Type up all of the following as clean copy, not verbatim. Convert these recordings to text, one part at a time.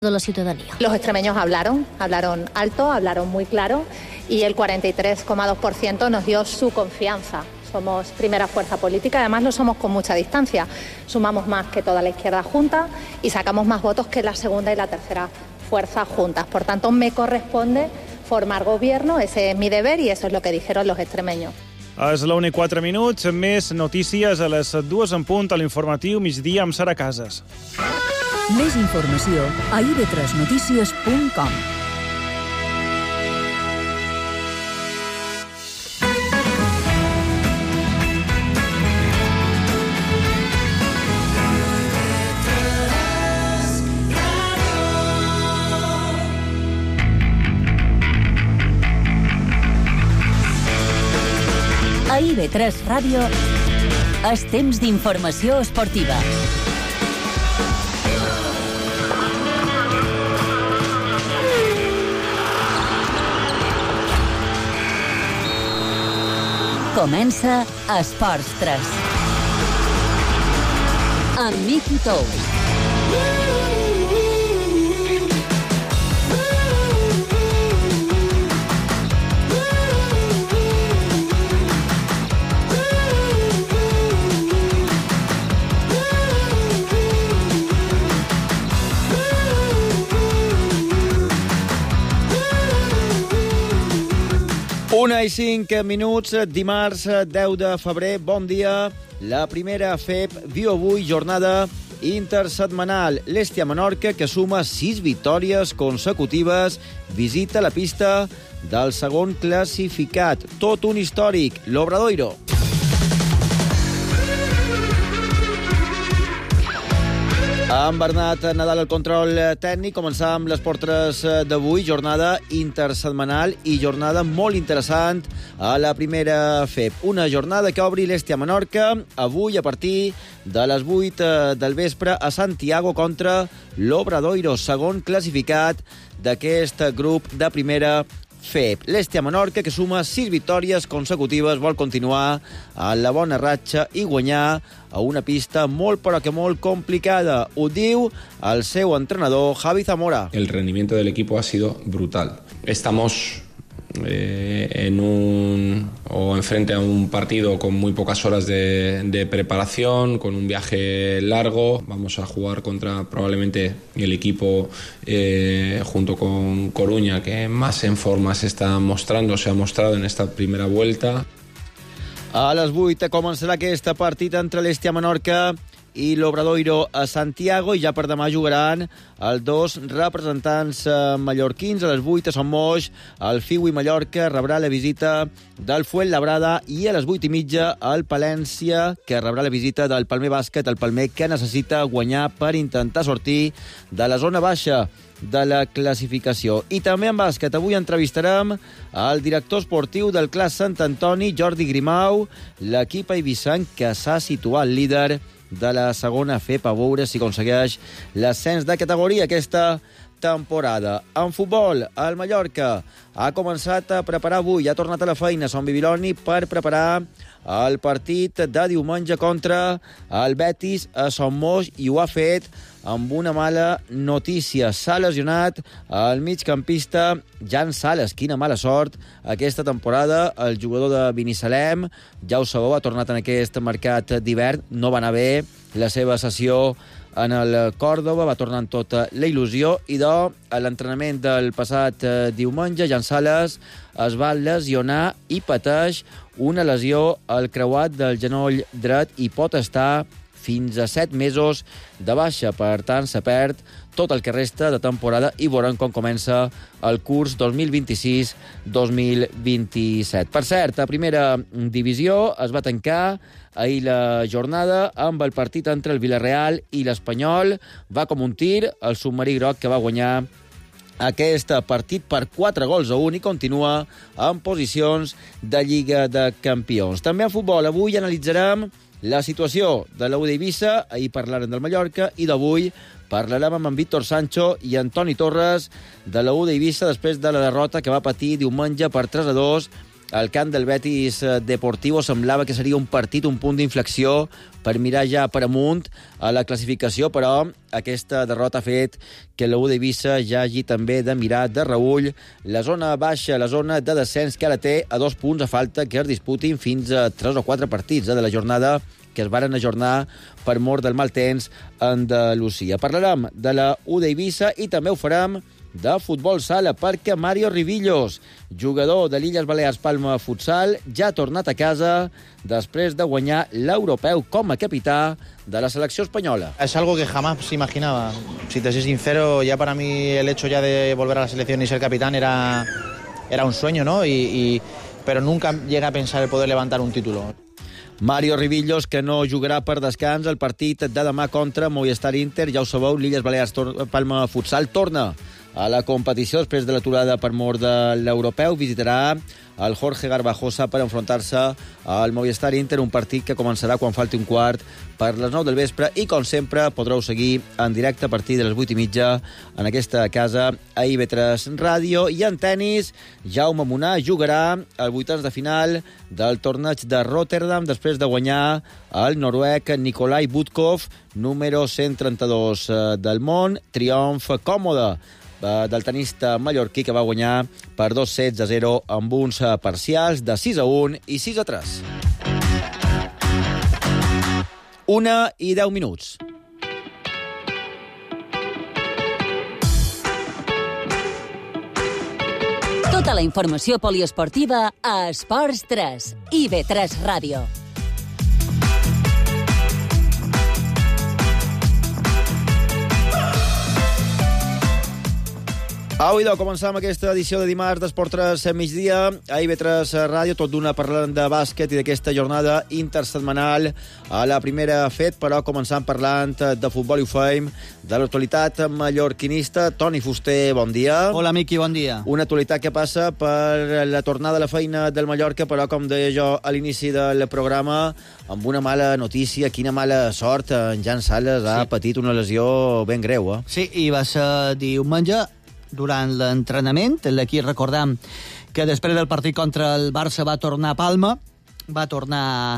de la ciudadanía. Los extremeños hablaron alto, hablaron muy claro y el 43,2% nos dio su confianza. Somos primera fuerza política, además lo somos con mucha distancia. Sumamos más que toda la izquierda junta y sacamos más votos que la segunda y la tercera fuerza juntas. Por tanto, me corresponde formar gobierno, ese es mi deber y eso es lo que dijeron los extremeños. És la 1:04, més notícies a les 2 en punt a l'informatiu migdia amb Sara Casas. Més informació a ib3notícies.com. A IB3 Ràdio és temps d'informació esportiva. Comença Esports 3. Amb Miqui Tous. Una i 5 minuts, dimarts 10 de febrer, bon dia. La primera FEP viu avui jornada intersetmanal. L'Hèstia-Menorca, que suma 6 victòries consecutives, visita la pista del segon classificat. Tot un històric, l'Obradoiro. Amb Bernat Nadal al control tècnic, començam les portres d'avui, jornada intersetmanal i jornada molt interessant a la primera FEP. Una jornada que obri l'Hèstia-Menorca avui a partir de les 8 del vespre a Santiago contra l'Obradoiro, segon classificat d'aquest grup de primera FEP. L'Hèstia-Menorca, que suma 6 victòries consecutives, vol continuar a la bona ratxa i guanyar a una pista molt però que molt complicada. Ho diu el seu entrenador, Javi Zamora. El rendimiento del equipo ha sido brutal. Estamos enfrente a un partido con muy pocas horas de preparación, con un viaje largo. Vamos a jugar contra probablemente el equipo junto con Coruña que más en forma se ha mostrado en esta primera vuelta. A les 8 començarà aquest partit entre l'Hèstia-Menorca i l'Obradoiro a Santiago, i ja per demà jugaran els dos representants mallorquins. A les 8 a Son Moix, el Fiui Mallorca rebrà la visita del Fuenlabrada, i a les 8:30 el Palència, que rebrà la visita del Palmer Bàsquet, el Palmer que necessita guanyar per intentar sortir de la zona baixa de la classificació. I també en bàsquet, avui entrevistarem el director esportiu del Clas Sant Antoni, Jordi Grimau, l'equip eivissant que s'ha situat líder de la segona FEP, a veure si aconsegueix l'ascens de categoria aquesta temporada. En futbol, el Mallorca ha començat a preparar avui, ha tornat a la feina a Sant Bibiloni per preparar el partit de diumenge contra el Betis a Son Moix, i ho ha fet amb una mala notícia. S'ha lesionat el migcampista Jan Sales. Quina mala sort aquesta temporada. El jugador de Binissalem, ja ho sabeu, ha tornat en aquest mercat d'hivern. No va anar bé la seva sessió en el Còrdova, va tornar amb tota la il·lusió, i a l'entrenament del passat diumenge, Jan Sales es va lesionar i pateix una lesió al creuat del genoll dret i pot estar fins a 7 mesos de baixa. Per tant, se perd tot el que resta de temporada i veurem com comença el curs 2026-2027. Per cert, a primera divisió es va tancar ahir la jornada amb el partit entre el Villarreal i l'Espanyol. Va com un tir el submarí groc, que va guanyar aquest partit per 4-1 i continua en posicions de Lliga de Campions. També en futbol, avui analitzarem la situació de l'U d'Eivissa. Ahir parlàrem del Mallorca i d'avui parlarem amb en Víctor Sancho i Antoni Torres de l'U d'Eivissa després de la derrota que va patir diumenge per 3-2 al camp del Betis Deportivo. Semblava que seria un partit, un punt d'inflexió per mirar ja per amunt a la classificació, però aquesta derrota ha fet que la U d'Eivissa ja hagi també de mirar de reull la zona baixa, la zona de descens, que ara té a 2 punts a falta que es disputin fins a 3 o 4 partits de la jornada que es varen ajornar per mort del mal temps a Andalusia. Parlarem de la U d'Eivissa i també ho farem de futbol sala, perquè Mario Rivillos, jugador de l'Illes Balears Palma Futsal, ja ha tornat a casa després de guanyar l'europeu com a capità de la selecció espanyola. Es algo que jamás imaginaba. Si te soy sincero, ya para mí el hecho ya de volver a la selección y ser capitán era un sueño, ¿no? Pero nunca llegué a pensar el poder levantar un título. Mario Rivillos, que no jugarà per descans el partit de demà contra Movistar Inter. Ja ho sabeu, l'Illes Balears Palma Futsal torna a la competició després de l'aturada per mort de l'europeu. Visitarà el Jorge Garbajosa per enfrontar-se al Movistar Inter, un partit que començarà quan falti un quart per les 9 del vespre i, com sempre, podreu seguir en directe a partir de les 8:30 en aquesta casa a IB3 Ràdio. I en tennis, Jaume Munar jugarà al vuitens de final del torneig de Rotterdam després de guanyar el noruec Nikolai Budkov, número 132 del món. Triomf còmode del tenista mallorquí, que va guanyar per 2-0 amb uns parcials de 6-1 i 6-3. 1:10. Tota la informació poliesportiva a Esports 3, IB3 Ràdio. Au, idò, començam aquesta edició de dimarts d'Esport 3 a migdia a IB3 Ràdio, tot d'una parlant de bàsquet i d'aquesta jornada intersetmanal a la primera fet, però començant parlant de futbol i ho fem de l'actualitat mallorquinista. Toni Fuster, bon dia. Hola, Miqui, bon dia. Una actualitat que passa per la tornada a la feina del Mallorca, però, com deia jo a l'inici del programa, amb una mala notícia. Quina mala sort. En Jan Sales ha patit una lesió ben greu, eh? Sí, i va ser diumenge, durant l'entrenament. Aquí recordam que després del partit contra el Barça va tornar a Palma, va tornar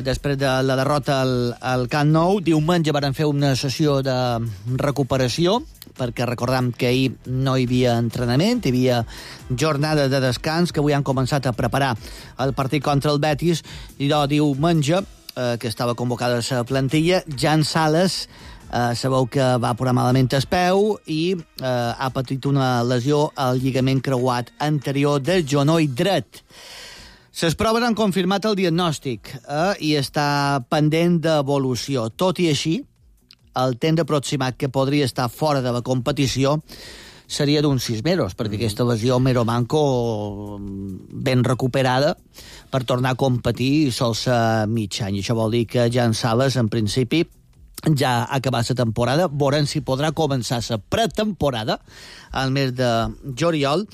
després de la derrota al Camp Nou. Diumenge van fer una sessió de recuperació, perquè recordam que ahir no hi havia entrenament, hi havia jornada de descans, que avui han començat a preparar el partit contra el Betis, i diumenge, que estava convocada a la plantilla, Jan Sales, sabeu que va posar malament el peu i ha patit una lesió al lligament creuat anterior del genoll dret. Les proves han confirmat el diagnòstic i està pendent d'evolució. Tot i així, el temps aproximat que podria estar fora de la competició seria d'uns 6 mesos, perquè aquesta lesió mero manco ben recuperada per tornar a competir sol ser mig any. Això vol dir que Jan Sales, en principi, ja ha acabat la temporada. Veurem si podrà començar la pretemporada al mes de juliol.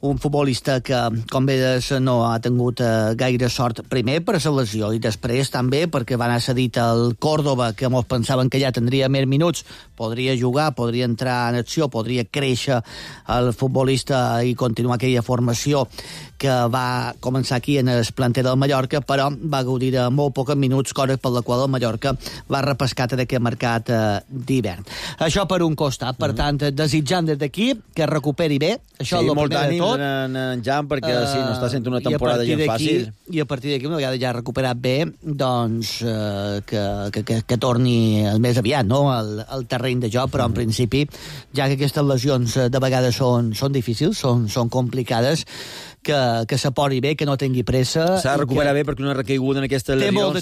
Un futbolista que, com veus, no ha tingut gaire sort, primer per la lesió i després també perquè va anar cedit al Córdoba, que mos pensaven que ja tindria més minuts, podria jugar, podria entrar en acció, podria créixer el futbolista i continuar aquella formació que va començar aquí en el planter del Mallorca, però va gaudir de molt pocs minuts, cosa per la qual el Mallorca va repescar d'aquest mercat d'hivern. Això per un costat. Per tant, desitjant des d'aquí que recuperi bé. Això és el primer de tot. En Jan, perquè sí, no està sent una temporada gens fàcil. I a partir d'aquí, una vegada ja recuperat bé, doncs que torni el més aviat, no?, al terreny de joc, però en principi, ja que aquestes lesions de vegades són difícils, són complicades, que s'apori bé, que no tingui pressa. S'ha de recuperar bé, perquè una recaiguda en aquestes lesions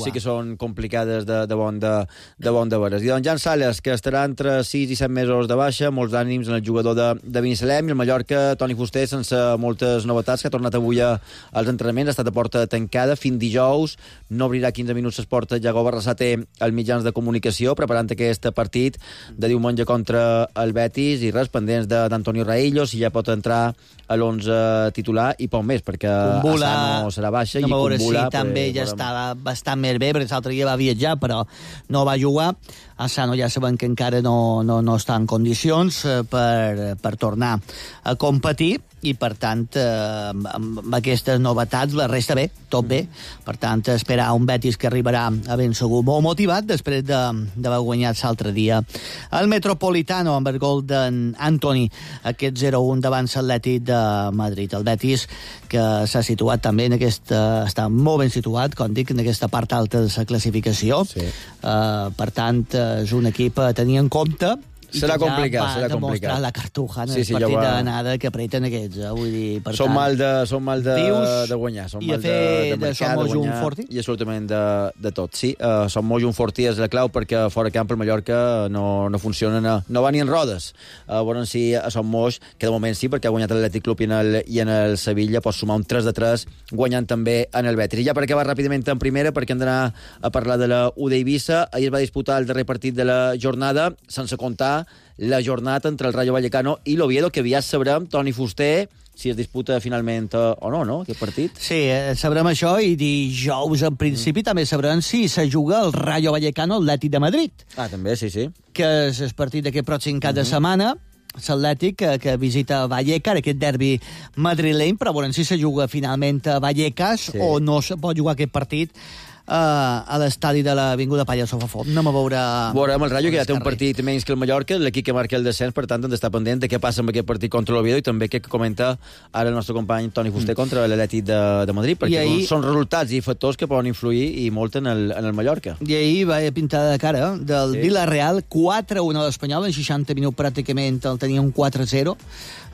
sí que són complicades de bon de veres. I doncs Jan Sales, que estarà entre 6 i 7 mesos de baixa, molts ànims en el jugador de Binissalem, i el Mallorca, Toni Fuster, sense moltes novetats, que ha tornat avui als entrenaments, ha estat a porta tancada fins dijous, no obrirà 15 minuts les portes Iago Barrasate als mitjans de comunicació, preparant aquest partit de diumenge contra el Betis, i res, pendents d'Antonio Raillo, si ja pot entrar a l'11 titular, i poc més, perquè Asano serà baixa, i Kumbula també ja estava bastant més bé, perquè l'altre dia va viatjar, però no va jugar. Asano ja sabem que encara no està en condicions per tornar a competir, i per tant amb aquestes novetats la resta bé, tot bé, per tant esperar un Betis que arribarà a ben segur molt motivat després d'haver guanyat l'altre dia el Metropolitano amb el gol d'en Antoni, aquest 0-1 davant l'Atlètic de Madrid. El Betis que s'ha situat també està molt ben situat, com dic, en aquesta part alta de la classificació. Per tant és un equip a tenir en compte. Serà complicat, serà complicat. La cartuja en el partit d'anada que apreten aquests, vull dir, per són tant... Són mal de guanyar, són mal de marcar, de guanyar, i absolutament de tot. Sí, som molt un fortí és la clau, perquè fora camp el Mallorca no funciona, no va ni en rodes. Bueno, sí, a Som Moix, que de moment sí, perquè ha guanyat l'Atlètic Club i en el Sevilla, pot sumar un 3-3, guanyant també en el Betis. I ja per acabar ràpidament en primera, perquè hem d'anar a parlar de la U d'Eivissa. Ahir es va disputar el darrer partit de la jornada, sense comptar la jornada entre el Rayo Vallecano i l'Oviedo, que aviat sabrem, Toni Fuster, si es disputa finalment o no, aquest partit. Sí, sabrem això, i dijous, en principi, també sabrem si se juga el Rayo Vallecano Atlètic de Madrid. També, sí. Que és el partit d'aquest pròxim cap de setmana, l'Atlètic que visita Vallecas, aquest derbi madrileny, però veurem si se juga finalment a Vallecas o no se pot jugar aquest partit a l'estadi de l'Avinguda Palla Sofafont. Anem a veure... Veurem el Rayo, que ja té un partit menys que el Mallorca, l'equip que marca el descens, per tant, hem d'estar pendent de què passa amb aquest partit contra l'Oviedo, i també què comenta ara el nostre company Toni Fuster contra l'Atlètic de Madrid, perquè són resultats i factors que poden influir i molt en el Mallorca. I ahir va pintar de cara del Villarreal, 4-1 a l'Espanyol, en 60 minuts pràcticament el tenia un 4-0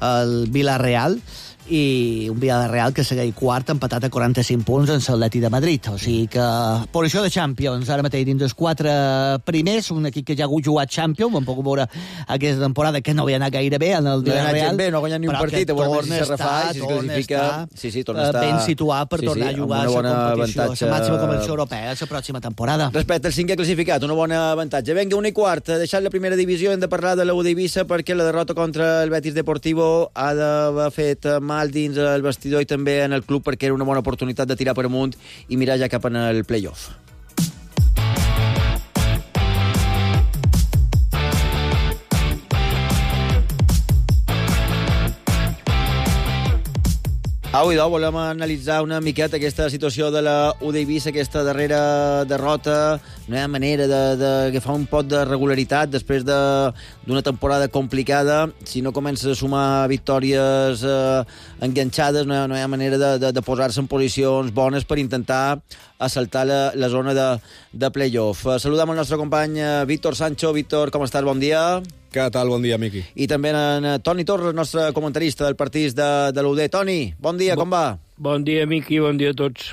el Villarreal, i un Villarreal que segueix quart, empatat a 45 punts en l'Atlètic de Madrid. O sigui que posició de Champions ara mateix dins dels 4 primers, un equip que ja ha jugat Champions, ho hem pogut veure aquesta temporada, que no havia anat gaire bé en el Villarreal, no ha guanyat ni un partit, torna a estar ben situat per tornar a jugar a la competició, a la màxima competició europea la pròxima temporada. Respecte al 5è classificat, una bona avantatge. Vinga, 1:15, deixant la primera divisió, hem de parlar de la U d'Eivissa, perquè la derrota contra el Betis Deportivo ha d'haver fet mal dins el vestidor i també en el club, perquè era una bona oportunitat de tirar per amunt i mirar ja cap en el play-off. Avui volem analitzar una miqueta aquesta situació de la U d'Eivissa, aquesta darrera derrota. No hi ha manera d'agafar un pot de regularitat després d'una temporada complicada. Si no comences a sumar victòries enganxades, no hi ha manera de posar-se en posicions bones per intentar assaltar la zona de play-off. Saludem el nostre company Víctor Sancho. Víctor, com estàs? Bon dia. Què tal? Bon dia, Miqui. I també en Toni Torres, nostre comentarista del partit de l'UD. Toni, bon dia, com va? Bon dia, Miqui, bon dia a tots.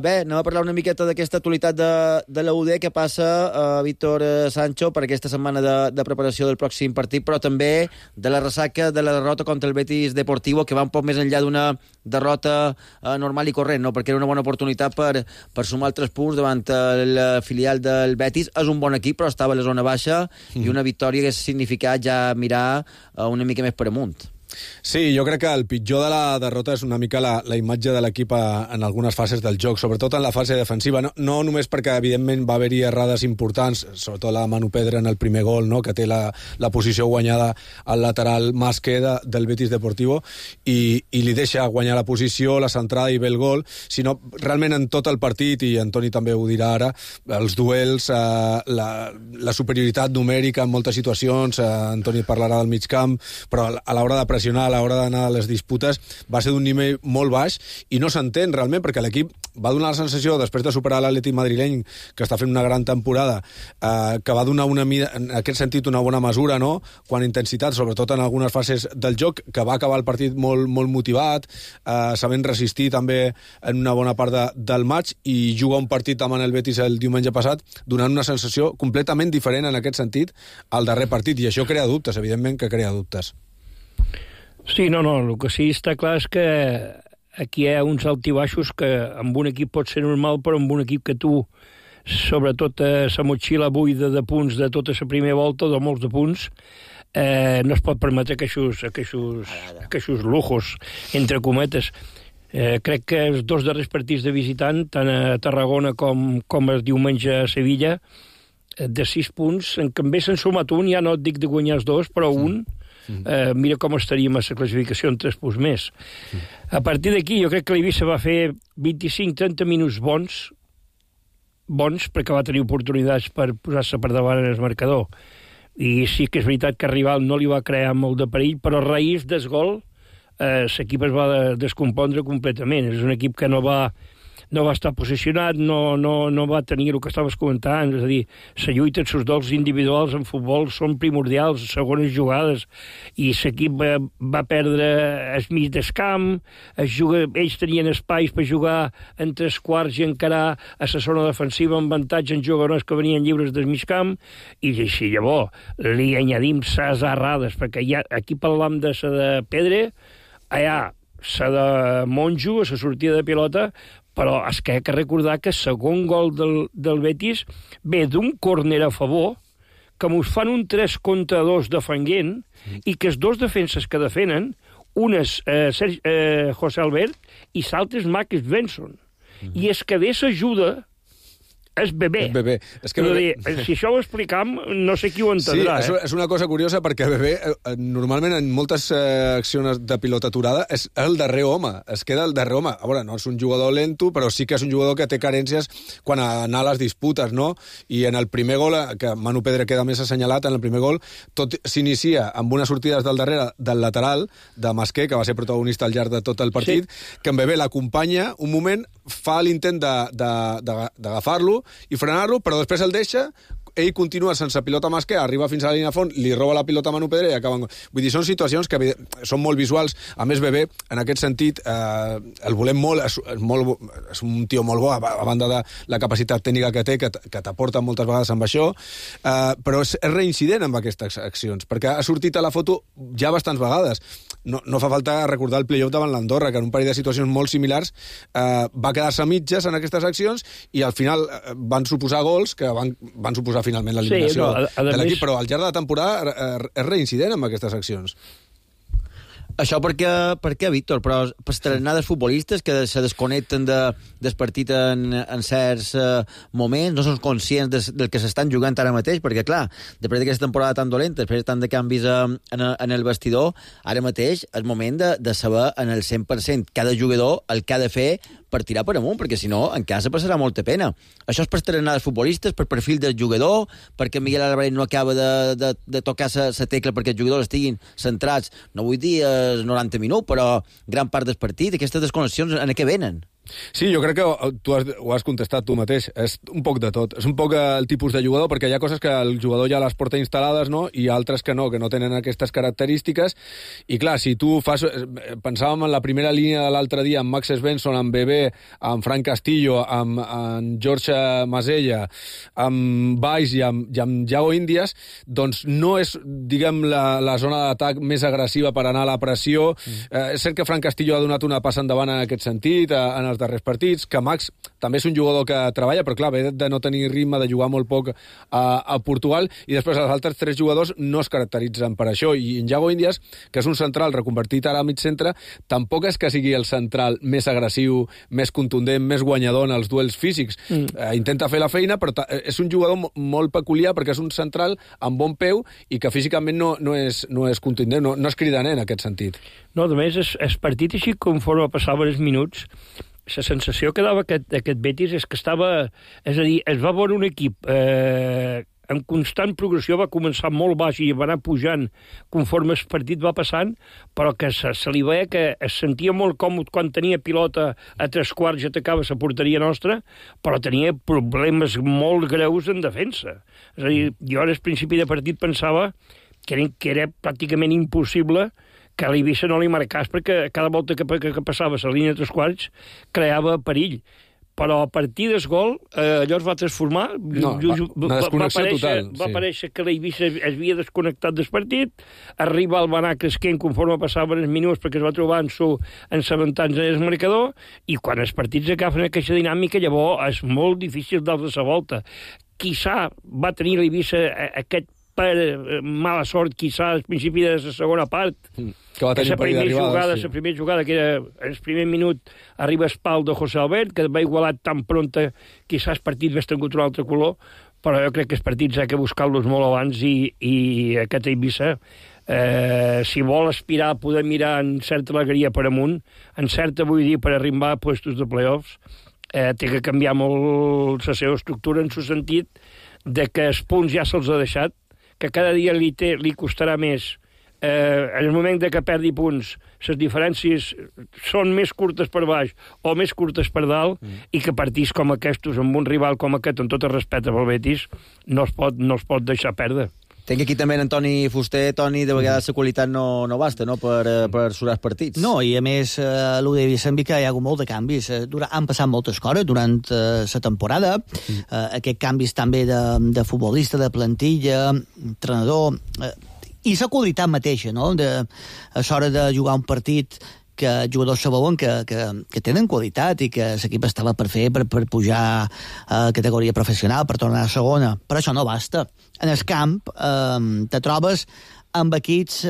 Bé, anem a parlar una miqueta d'aquesta actualitat de la UD, que passa, Víctor Sancho, per aquesta setmana de preparació del pròxim partit, però també de la ressaca de la derrota contra el Betis Deportivo, que va un poc més enllà d'una derrota normal i corrent, no? Perquè era una bona oportunitat per sumar 3 punts davant el filial del Betis. És un bon equip, però estava a la zona baixa, i una victòria que ha significat ja mirar una mica més per amunt. Sí, jo crec que el pitjor de la derrota és una mica la imatge de l'equip en algunes fases del joc, sobretot en la fase defensiva. No només perquè, evidentment, va haver-hi errades importants, sobretot la Manu Pedra en el primer gol, no?, que té la posició guanyada al lateral Masque del Betis Deportivo, i li deixa guanyar la posició, la centrada i ve el gol, sinó realment en tot el partit, i Antoni també ho dirà ara, els duels, la superioritat numèrica en moltes situacions, Antoni parlarà del mig camp, però a l'hora de pressionar, a l'hora d'anar a les disputes, va ser d'un nivell molt baix, i no s'entén realment, perquè l'equip va donar la sensació, després de superar l'Atlètic madrileny, que està fent una gran temporada, que va donar en aquest sentit una bona mesura, no?, quan intensitat, sobretot en algunes fases del joc, que va acabar el partit molt, molt motivat, sabent resistir també en una bona part del maig, i jugar un partit amb el Betis el diumenge passat, donant una sensació completament diferent en aquest sentit al darrer partit, i això crea dubtes, evidentment que crea dubtes. Sí, no, el que sí està clar és que aquí hi ha uns altibaixos que amb un equip pot ser normal, però amb un equip que tu, sobretot la motxilla buida de punts de tota la primera volta, de molts de punts, no es pot permetre aquests lujos, entre cometes. Crec que els 2 darrers partits de visitant, tant a Tarragona com el diumenge a Sevilla, de 6 punts, en canvi s'han sumat un, ja no et dic de guanyar els 2, però un, mira com estaríem a la classificació en 3 punts més. A partir d'aquí, jo crec que l'Eivissa va fer 25-30 minuts bons, perquè va tenir oportunitats per posar-se per davant en el marcador. I sí que és veritat que el rival no li va crear molt de perill, però a raïs del gol l'equip es va descompondre completament. És un equip que no va estar posicionat, no va tenir el que estaves comentant, és a dir, la lluita, els dols individuals en futbol són primordials, segones jugades, i l'equip va perdre el mig del camp, ells tenien espais per jugar en 3 quarts i encarar a la zona defensiva amb avantatge en jugadors que venien lliures del mig camp, i si llavors li añadim les errades, perquè aquí parlam de la de Pedre, allà la de Monjo, a la sortida de pilota, però és que hay que recordar que el segon gol del Betis ve d'un córner a favor, que mos fan un 3 contra 2 defenent, i que els 2 defenses que defenen, un és José Albert i l'altre és Marc Svensson. I és que de s'ajuda és Bebé. És que Bebé... Si això ho explicam, no sé qui ho entendrà. Sí, és una cosa curiosa perquè Bebé, normalment en moltes accions de pilota aturada, és el darrer home, es queda el darrer home. A veure, no és un jugador lento, però sí que és un jugador que té carències quan anar a les disputes, no? I en el primer gol, que Manu Pedre queda més assenyalat, en el primer gol, tot s'inicia amb unes sortides del darrere, del lateral, de Masqué, que va ser protagonista al llarg de tot el partit, que en Bebé l'acompanya un moment, fa l'intent d'agafar-lo i frenar-lo, però després el deixa, ell continua sense pilota Masqué, arriba fins a la línia de fons, li roba la pilota a Manu Pedre i acaben... Vull dir, són situacions que són molt visuals. A més, Bebé, en aquest sentit, el volem molt, és un tio molt bo, a banda de la capacitat tècnica que té, que t'aporta moltes vegades amb això, però és reincident amb aquestes accions, perquè ha sortit a la foto ja bastants vegades. No fa falta recordar el play-off davant l'Andorra, que en un parell de situacions molt similars va quedar-se a mitges en aquestes accions i al final van suposar gols que van suposar finalment l'eliminació de l'equip, però al llarg de la temporada és reincident amb aquestes accions. Això per què, Víctor? Però per estrenades futbolistes que se desconnecten del partit en certs moments, no són conscients del que s'estan jugant ara mateix, perquè, clar, després d'aquesta temporada tan dolenta, després de tant de canvis en el vestidor, ara mateix és moment de saber en el 100% cada jugador el que ha de fer per tirar per amunt, perquè si no, en casa passarà molta pena. Això és per estrenades futbolistes, per perfil del jugador, perquè Miguel Álvarez no acaba de tocar la tecla perquè els jugadors estiguin centrats, no vull dir 90 minuts, però gran part del partit, aquestes desconnexions en què venen? Sí, jo crec que ho has contestat tu mateix. És un poc de tot. És un poc el tipus de jugador, perquè hi ha coses que el jugador ja les porta instal·lades, no? I altres que no tenen aquestes característiques. I clar, si tu fas... Pensàvem en la primera línia de l'altre dia, amb Max Svensson, amb Bebé, amb Frank Castillo, amb George Masella, amb Valls i amb Yago Indias, doncs no és, diguem, la zona d'atac més agressiva per anar a la pressió. És cert que Frank Castillo ha donat una passa endavant en aquest sentit, en els darrers partits, que Max també és un jugador que treballa, però clar, ve de no tenir ritme, de jugar molt poc a Portugal, i després els altres 3 jugadors no es caracteritzen per això, i en Yago Indias, que és un central reconvertit ara a mig centre, tampoc és que sigui el central més agressiu, més contundent, més guanyador en els duels físics. Intenta fer la feina, però és un jugador molt peculiar, perquè és un central amb bon peu i que físicament no és contundent, no és cridaner en aquest sentit. No, a més, el partit així conforme passaven els minuts, la sensació que dava aquest Betis és que estava... És a dir, es va veure un equip en constant progressió, va començar molt baix i va anar pujant conforme el partit va passant, però que se li veia que es sentia molt còmode quan tenia pilota a 3 quarts i atacava la porteria nostra, però tenia problemes molt greus en defensa. És a dir, jo al principi de partit pensava que era pràcticament impossible que l'Eivissa no li marcàs, perquè cada volta que passava la línia de 3 quarts creava perill. Però a partir del gol allò es va transformar. Una desconnexió total. Va aparèixer que l'Eivissa es havia desconnectat del partit, arriba el Benar cresquent conforme passaven els minuts perquè es va trobar en l'avantatge del marcador, i quan els partits agafen aquesta dinàmica, llavors és molt difícil dar-se la volta. Quizà va tenir l'Eivissa aquest per mala sort, quizà al principi de la segona part, que va tenir perill d'arribada. La primera jugada, que era el primer minut, arriba el pal de José Albert, que va igualat tan pronta, quizà el partit hagués tingut un altre color, però jo crec que els partits ha que buscar-los molt abans, i aquest Eivissa si vol aspirar a poder mirar en certa alegria per amunt, en certa, vull dir, per arribar a puestos de playoffs, té que canviar molt la seva estructura en el sentit de que els punts ja se'ls ha deixat, que cada dia li costarà més. En el moment de que perdi punts, les diferències són més curtes per baix o més curtes per dalt, i que partits com aquests, amb un rival com aquest, amb tot el respecte pel Betis, no es pot deixar perdre. Tinc aquí també en Toni Fuster. Toni, de vegades la qualitat no basta, no?, per surar els partits. No, i a més, el de Vicent que hi ha hagut molt de canvis. Han passat moltes coses durant la temporada. Aquests canvis també de futbolista, de plantilla, entrenador, i la qualitat mateixa, no?, a l'hora de jugar un partit que jugadors saben que tenen qualitat i que l'equip estava per fer per pujar a categoria professional, per tornar a segona. Però això no basta. En el camp te trobes amb equips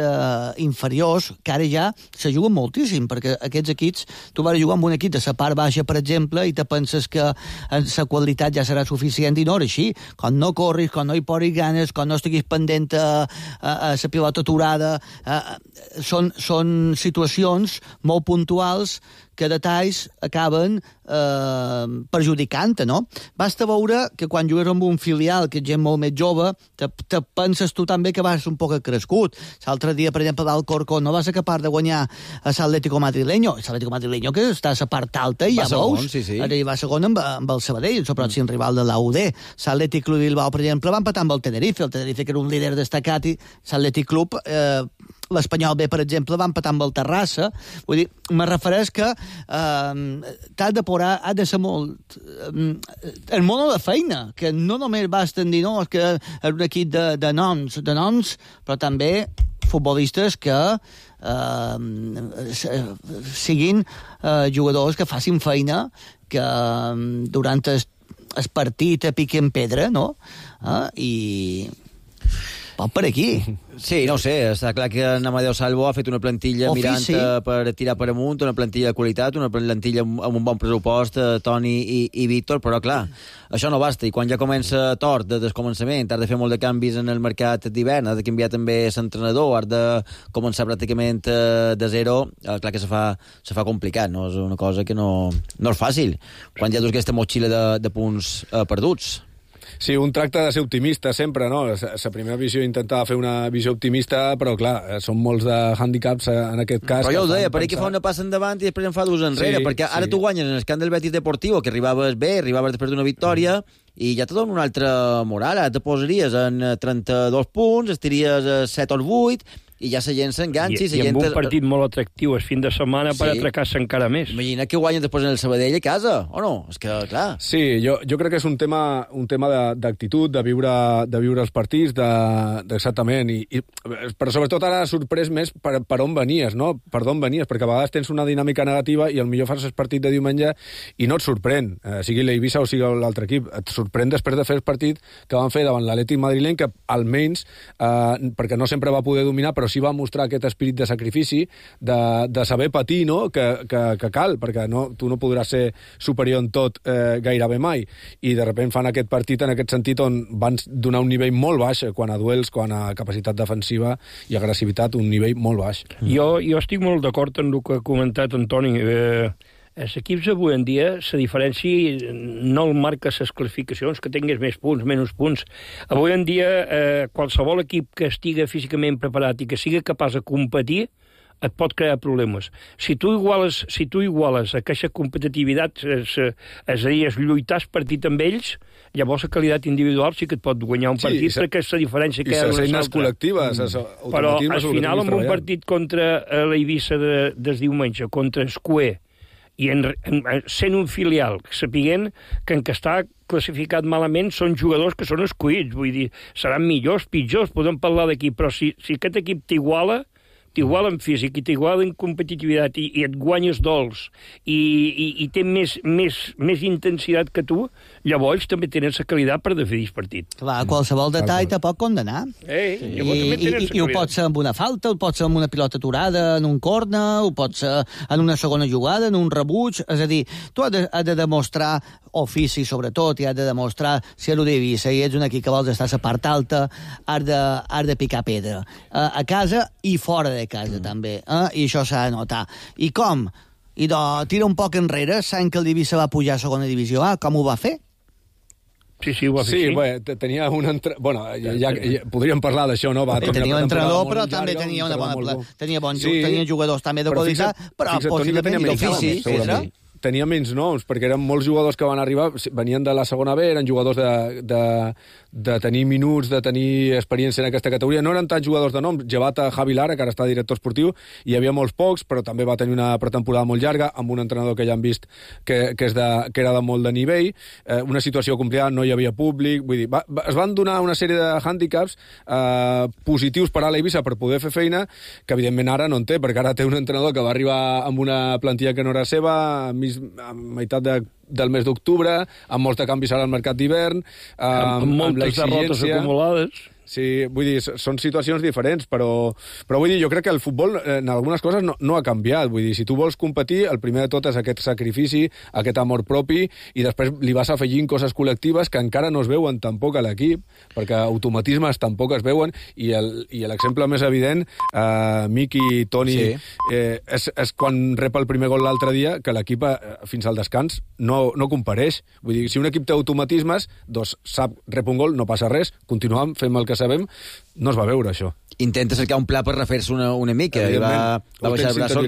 inferiors, que ara ja se juguen moltíssim, perquè aquests equips, tu vas jugar amb un equip de la part baixa, per exemple, i te penses que la qualitat ja serà suficient, i no era així. Quan no corris, quan no hi posis ganes, quan no estiguis pendent a la pilota aturada, són situacions molt puntuals que detalls acaben perjudicant-te, no? Basta veure que quan jugues amb un filial, que és gent molt més jove, te penses tu també que vas un poc crescut. L'altre dia, per exemple, d'Alcorcón, no vas ser capaç de guanyar a l'Atlético Madrileño. L'Atlético Madrileño, que està a la part alta, i ja veus. Sí. Ara hi va segon amb el Sabadell, el pròxim rival de l'AUD. L'Atlètic Club Bilbao, per exemple, va empatar amb el Tenerife. El Tenerife, que era un líder destacat, i l'Atlètic Club... l'Espanyol B, per exemple, va empatar amb el Terrassa. Vull dir, me refereix que t'has de posar, ha de ser molt... el món de feina, que no només basta dir, no, és que és un equip de noms, però també futbolistes que siguin jugadors que facin feina, que durant el partit piquen pedra, no? I... pot per aquí. Sí, no ho sé, està clar que en Amadeu Salvo ha fet una plantilla mirant per tirar per amunt, una plantilla de qualitat, una plantilla amb un bon pressupost, Toni i Víctor, però clar, això no basta, i quan ja comença tort des del començament, has de fer molt de canvis en el mercat d'hivern, has de canviar també l'entrenador, has de començar pràcticament de zero, clar que se fa complicat, no? És una cosa que no és fàcil, quan ja dus aquesta motxilla de punts perduts. Sí, un tracta de ser optimista sempre, no? La primera visió intentava fer una visió optimista, però clar, són molts de hàndicaps en aquest cas. Però jo ho deia, per aquí fa una passa endavant i després en fa dues enrere, perquè ara tu guanyes en el camp del Betis Deportivo, que arribaves bé, arribaves després d'una victòria, i ja te dona una altra moral, ara te posaries en 32 punts, estiries a 7 o 8, i ja la gent s'enganxa. I amb un partit molt atractiu el fin de setmana per atracar-se encara més. Imagina que guanyen després en el Sabadell a casa, o no? És que, clar... Sí, jo crec que és un tema d'actitud, de viure els partits, exactament, però sobretot ara ha sorprès més per on venies, no? Per d'on venies, perquè a vegades tens una dinàmica negativa i potser fas el partit de diumenge i no et sorprèn, sigui l'Eivissa o sigui l'altre equip, et sorprèn després de fer el partit que van fer davant l'Atlètic madrileny, que almenys, perquè no sempre va poder dominar, però sí va mostrar aquest espírit de sacrifici, de saber patir, no?, que cal, perquè tu no podràs ser superior en tot gairebé mai, i de sobte fan aquest partit en aquest sentit on van donar un nivell molt baix quan a duels, quan a capacitat defensiva i agressivitat, un nivell molt baix. Jo estic molt d'acord amb el que ha comentat Antoni. Els equips avui en dia, la diferència no el marca les classificacions, que tinguis més punts, menys punts. Avui en dia, qualsevol equip que estigui físicament preparat i que sigui capaç de competir, et pot crear problemes. Si tu iguales aquesta competitivitat, és a dir, lluitar partit amb ells, llavors la qualitat individual sí que et pot guanyar un partit, perquè és la diferència que hi ha d'una altra. I les eines col·lectives. Però al final, amb un partit contra l'Eivissa des diumenge, contra Escué, i sent un filial, sapiguent que en què està classificat malament són jugadors que són escollits, vull dir, seran millors, pitjors, podem parlar d'equip, però si aquest equip t'iguala, t'iguala en físic i t'iguala en competitivitat i et guanyes dols i té més intensitat que tu, llavors també tenen la qualitat per decidir el partit. Clar, qualsevol detall te pot condenar. I ho pot ser amb una falta, ho pot ser amb una pilota aturada en un corner, ho pot ser en una segona jugada, en un rebuig, és a dir, tu has de demostrar ofici, sobretot, i has de demostrar si a l'Eivissa i ets un equip que vols estar a la part alta, has de picar pedra. A casa i fora de casa, també. I això s'ha de notar. I com? I tira un poc enrere, sabent que el Eivissa va pujar a segona divisió A, com ho va fer? Sí, ho va fer. Sí, bé, tenia un Bueno, ja podríem parlar d'això, no? Tenia un entrenador, però també tenia una bona... Tenia jugadors també de qualitat, però possiblement d'ofici. Tenia menys noms, perquè eren molts jugadors que van arribar, venien de la segona B, eren jugadors de tenir minuts, de tenir experiència en aquesta categoria. No eren tants jugadors de nom, llevat a Javi Lara, que ara està director esportiu, hi havia molts pocs, però també va tenir una pretemporada molt llarga, amb un entrenador que ja han vist que era de molt de nivell, una situació complicada, no hi havia públic, vull dir, es van donar una sèrie de hàndicaps positius per a l'Eivissa per poder fer feina, que evidentment ara no en té, perquè ara té un entrenador que va arribar amb una plantilla que no era seva, a meitat del mes d'octubre, amb molts de canvis ara al mercat d'hivern, amb moltes derrotes acumulades. Sí, vull dir, són situacions diferents, però vull dir, jo crec que el futbol en algunes coses no ha canviat. Vull dir, si tu vols competir, el primer de tot és aquest sacrifici, aquest amor propi, i després li vas afegint coses col·lectives que encara no es veuen tampoc a l'equip, perquè automatismes tampoc es veuen, i l'exemple més evident, Miqui, Toni, és quan rep el primer gol l'altre dia, que l'equip fins al descans no compareix. Vull dir, si un equip té automatismes, doncs sap, rep un gol, no passa res, continuem, fem el que sabem, no es va veure això. Intenta cercar un pla per refer-se una mica, i va baixar el braços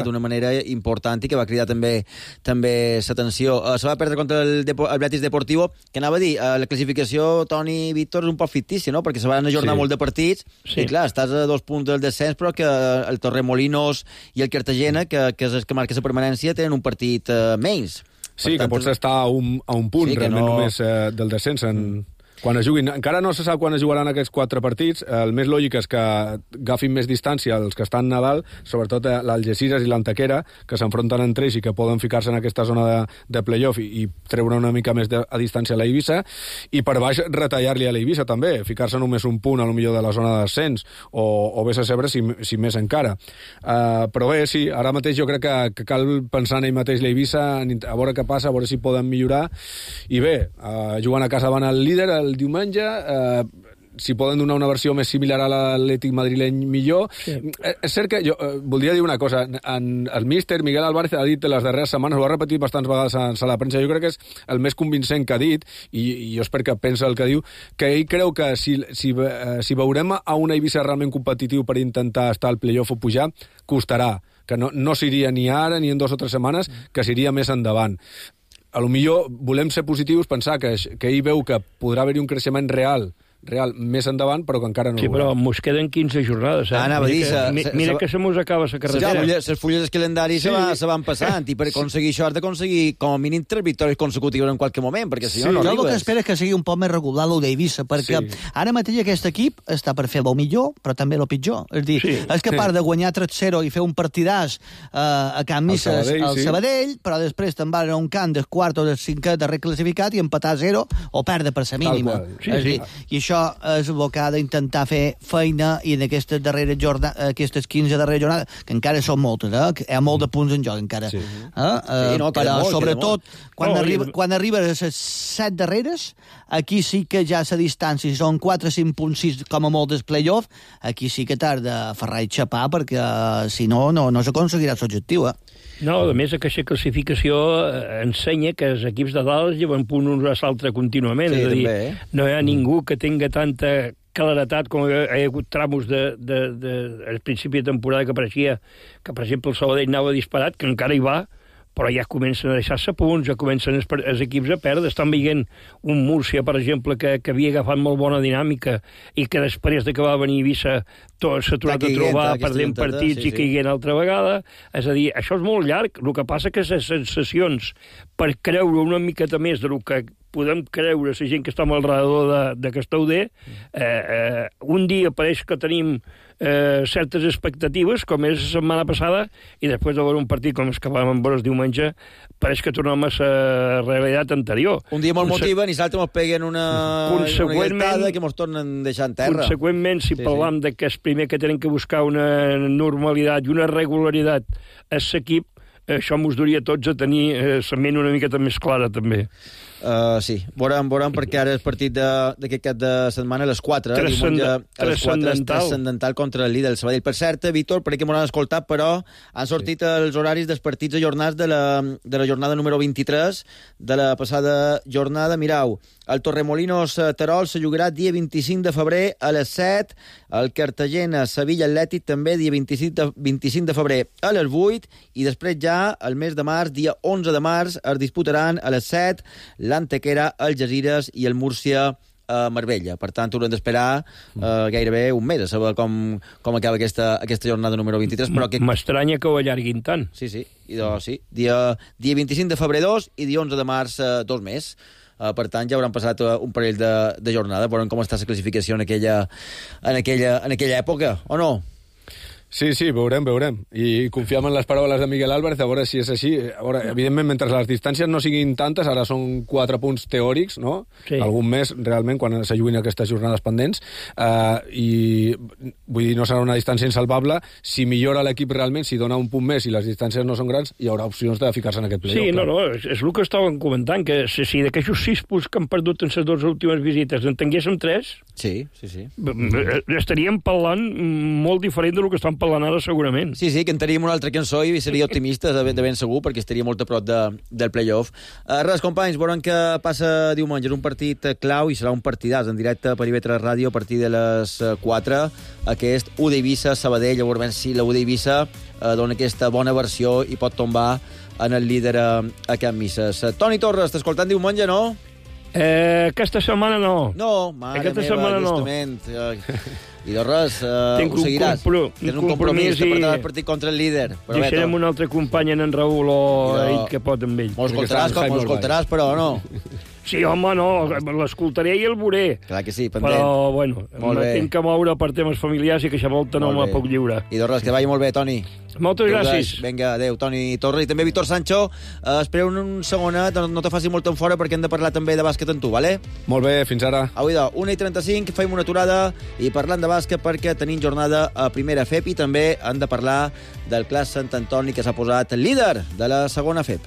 d'una manera important i que va cridar també l'atenció. Se va perdre contra el Betis Deportivo, que anava a dir, la classificació, Toni, Víctor, és un poc fictícia, no? Perquè se van ajornar molt de partits, i clar, estàs a 2 punts del descens, però que el Torremolinos i el Cartagena, que és el que marca la permanència, tenen un partit menys. Sí, que pots estar a un punt, realment, només del descens quan es juguin. Encara no se sap quan es jugaran aquests 4 partits. El més lògic és que agafin més distància els que estan a dalt, sobretot l'Algeciras i l'Antequera, que s'enfronten entre ells i que poden ficar-se en aquesta zona de playoff i treure una mica més a distància a l'Eivissa, i per baix retallar-li a l'Eivissa també, ficar-se només un punt a lo millor de la zona de descens, o vés a saber si més encara. Però bé, sí, ara mateix jo crec que cal pensar en ell mateix l'Eivissa, a veure què passa, a veure si poden millorar, i bé, jugant a casa van al líder el diumenge, si poden donar una versió més similar a l'Atlètic madrileny, millor. Sí. És cert que jo voldria dir una cosa. El míster Miguel Álvarez ha dit les darreres setmanes, ho ha repetit bastants vegades a la premsa, jo crec que és el més convincent que ha dit, i jo espero que pensa el que diu, que ell creu que si veurem a una Eivissa realment competitiu per intentar estar al playoff o pujar, costarà, que no s'iria ni ara ni en 2 o 3 setmanes, que s'iria més endavant. A lo millor volem ser positius, pensar que ell veu que podrà haver-hi un creixement real més endavant, però que encara no ho veurà. Sí, però mos queden 15 jornades. Mira que se mos acaba la carretera. Les fulles del calendari se van passant, i per aconseguir això has d'aconseguir com a mínim 3 victòries consecutives en qualsevol moment, perquè si no arribes. Jo el que espero és que sigui un poc més regular l'Eivissa, perquè ara mateix aquest equip està per fer el millor, però també el pitjor. És dir, és capaç de guanyar 3-0 i fer un partidàs a Can Misses al Sabadell, però després te'n vas a un camp del quart o del cinquè de reclassificat i empatar 0 o perdre per la mínima. I això és el que ha d'intentar fer feina, i en aquestes 15 darreres jornades, que encara són moltes, que hi ha molt de punts en joc encara. Però sobretot quan arribes a les 7 darreres, aquí sí que ja la distància, si són 4-5 punts, 6 com a molt del playoff, aquí sí que t'has de ferrar i xapar, perquè si no s'aconseguirà l'objectiu. No, a més, aquesta classificació ensenya que els equips de dalt lleven punt uns a l'altre contínuament. És a dir, no hi ha ningú que tinga tanta claretat com hi ha hagut tramos al principi de temporada que pareixia que, per exemple, el Sabadell anava disparat, que encara hi va, però ja comencen a deixar-se punts, ja comencen els equips a perdre. Estan veient un Múrcia, per exemple, que havia agafat molt bona dinàmica i que després de que va venir Eivissa s'ha tornat a trobar perdent partits i caiguent altra vegada. És a dir, això és molt llarg. El que passa que les sensacions per creure una miqueta més del que podem creure la gent que està al redador de Castauder, un dia pareix que tenim certes expectatives, com és la setmana passada, i després de veure un partit com el que vam veure el diumenge, pareix que tornem a la realitat anterior. Un dia molt motiven i l'altre ens peguen una galletada que ens tornen a deixar en terra. Conseqüentment, si parlam de que és primer que tenen que buscar una normalitat i una regularitat a l'equip, això mos duria tots a tenir la ment una miqueta més clara, també. Sí, veurem perquè ara el partit d'aquest cap de setmana a les 4, transcendental contra el líder, el Sabadell. Per cert, Víctor, per aquí m'ho han escoltat, però han sortit els horaris dels partits ajornats de la jornada número 23 de la passada jornada. Mireu, el Torremolinos Terol se jugarà dia 25 de febrer a les 7, el Cartagena Sevilla Atlètic també dia 25 de febrer a les 8, i després ja el mes de març, dia 11 de març, es disputaran a les 7 l'Antequera, el Algesires i el Múrcia a Marbella. Per tant, haurem d'esperar gairebé un mes a saber com acaba aquesta jornada número 23. M'estranya que ho allarguin tant. Sí. Dia 25 de febrer 2 i dia 11 de març 2 més. Per tant, ja hauran passat un parell de jornada. Veurem com està la classificació en aquella època, o no? Sí, veurem. I confiem en les paraules de Miguel Álvarez, a veure si és així. A veure, evidentment, mentre les distàncies no siguin tantes, ara són 4 punts teòrics, no? Sí. Algun mes, realment, quan s'alluin aquestes jornades pendents. I, vull dir, no serà una distància insalvable. Si millora l'equip realment, si dona un punt més i les distàncies no són grans, hi haurà opcions de ficar-se en aquest playoff. Sí, no, és el que estàvem comentant, que si d'aquests 6 punts que han perdut en les 2 últimes visites en tinguéssim 3, sí. Estaríem parlant molt diferent del que estan parlant ara, segurament. Sí, cantaríem una altra cançó i seria optimista, de ben segur, perquè estaria molt a prop del playoff. Res, companys, veurem què passa diumenge. És un partit clau i serà un partidàs en directe per IB3 Ràdio a partir de les 4. Aquest U d'Eivissa, Sabadell, a veure si la U d'Eivissa dona aquesta bona versió i pot tombar en el líder a Can Misses. Toni Torres, t'escoltant diumenge, no? Aquesta setmana no. No, mare aquesta meva, setmana justament. I de res, ho seguiràs. Tens un compromís de portar el partit contra el líder. Deixarem un altre company en Raül o ell que pot amb ell. M'ho escoltaràs, però no? Sí, home, no, l'escoltaré i el veuré. Clar que sí, pendent. Però, bueno, tinc que moure per temes familiars i que això volta no me puc lliurar. I de res, que vagi molt bé, Toni. Moltes gràcies. Vinga, adéu, Toni Torres. I també Víctor Sancho. Espereu un segonet, no te faci molt en fora perquè hem de parlar també de bàsquet amb tu, vale? Molt bé, fins ara. Avui 1:35, fem una aturada i parlant de bàsquet perquè tenim jornada a primera FEP i també han de parlar del Clas Sant Antoni que s'ha posat líder de la segona FEP.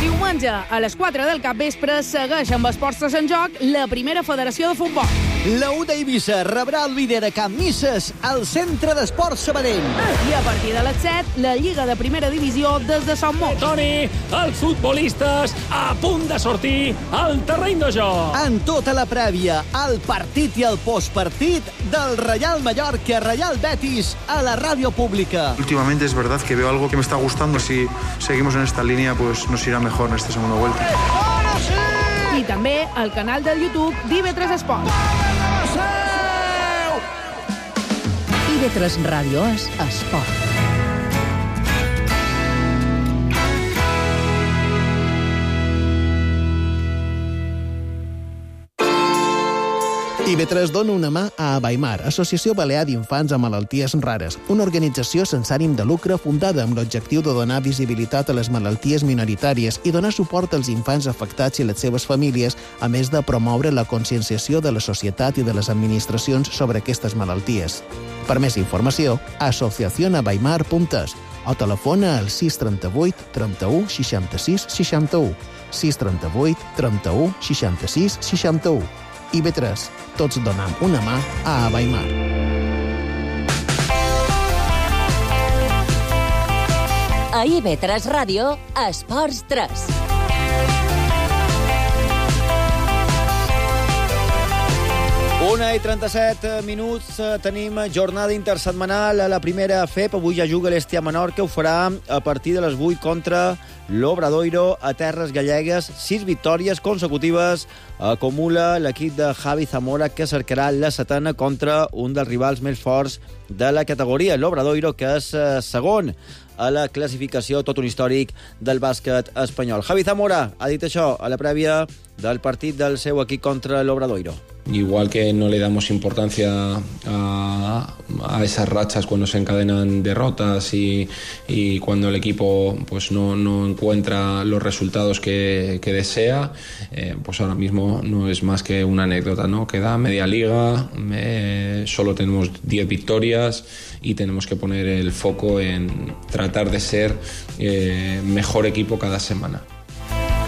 Diumenge, a les 4 del capvespre, segueix amb esports en joc la primera federació de futbol. La U d'Eivissa rebrà el líder a Can Misses al Centre d'Esports Sabadell. I a partir de les 7, la Lliga de Primera Divisió des de Sant Mot. Toni, els futbolistes a punt de sortir al terreny de joc. En tota la prèvia, el partit i el postpartit del Real Mallorca Real Betis a la ràdio pública. Últimamente es verdad que veo algo que me está gustando. Si seguimos en esta línea, pues nos irá mejor en esta segunda vuelta. I també al canal del YouTube d'IB3 Esport. IB3 Ràdio és esport. IB3 dona una mà a Abaimar, Associació Balear d'Infants amb Malalties Rares, una organització sense ànim de lucre fundada amb l'objectiu de donar visibilitat a les malalties minoritàries i donar suport als infants afectats i les seves famílies, a més de promoure la conscienciació de la societat i de les administracions sobre aquestes malalties. Per més informació, asociacionabaimar.es o telefona al 638 31 66 61, 638 31 66 61. IB3, tots donam una mà a Abaimar. A IB3 Ràdio, Esports 3. Una i 37 minuts, tenim jornada intersetmanal a la primera FEP. Avui ja juga l'Estia Menorca, ho farà a partir de les 8 contra l'Obradoiro a Terres Gallegues. 6 victòries consecutives acumula l'equip de Javi Zamora, que cercarà la setena contra un dels rivals més forts de la categoria, l'Obradoiro, que és segon a la classificació, tot un històric del bàsquet espanyol. Javi Zamora ha dit això a la prèvia del partit del seu equip contra l'Obradoiro. igual que no le damos importancia a esas rachas cuando se encadenan derrotas y cuando el equipo pues no encuentra los resultados que desea, pues ahora mismo no es más que una anécdota, ¿no? Queda media liga, solo tenemos 10 victorias y tenemos que poner el foco en tratar de ser mejor equipo cada semana.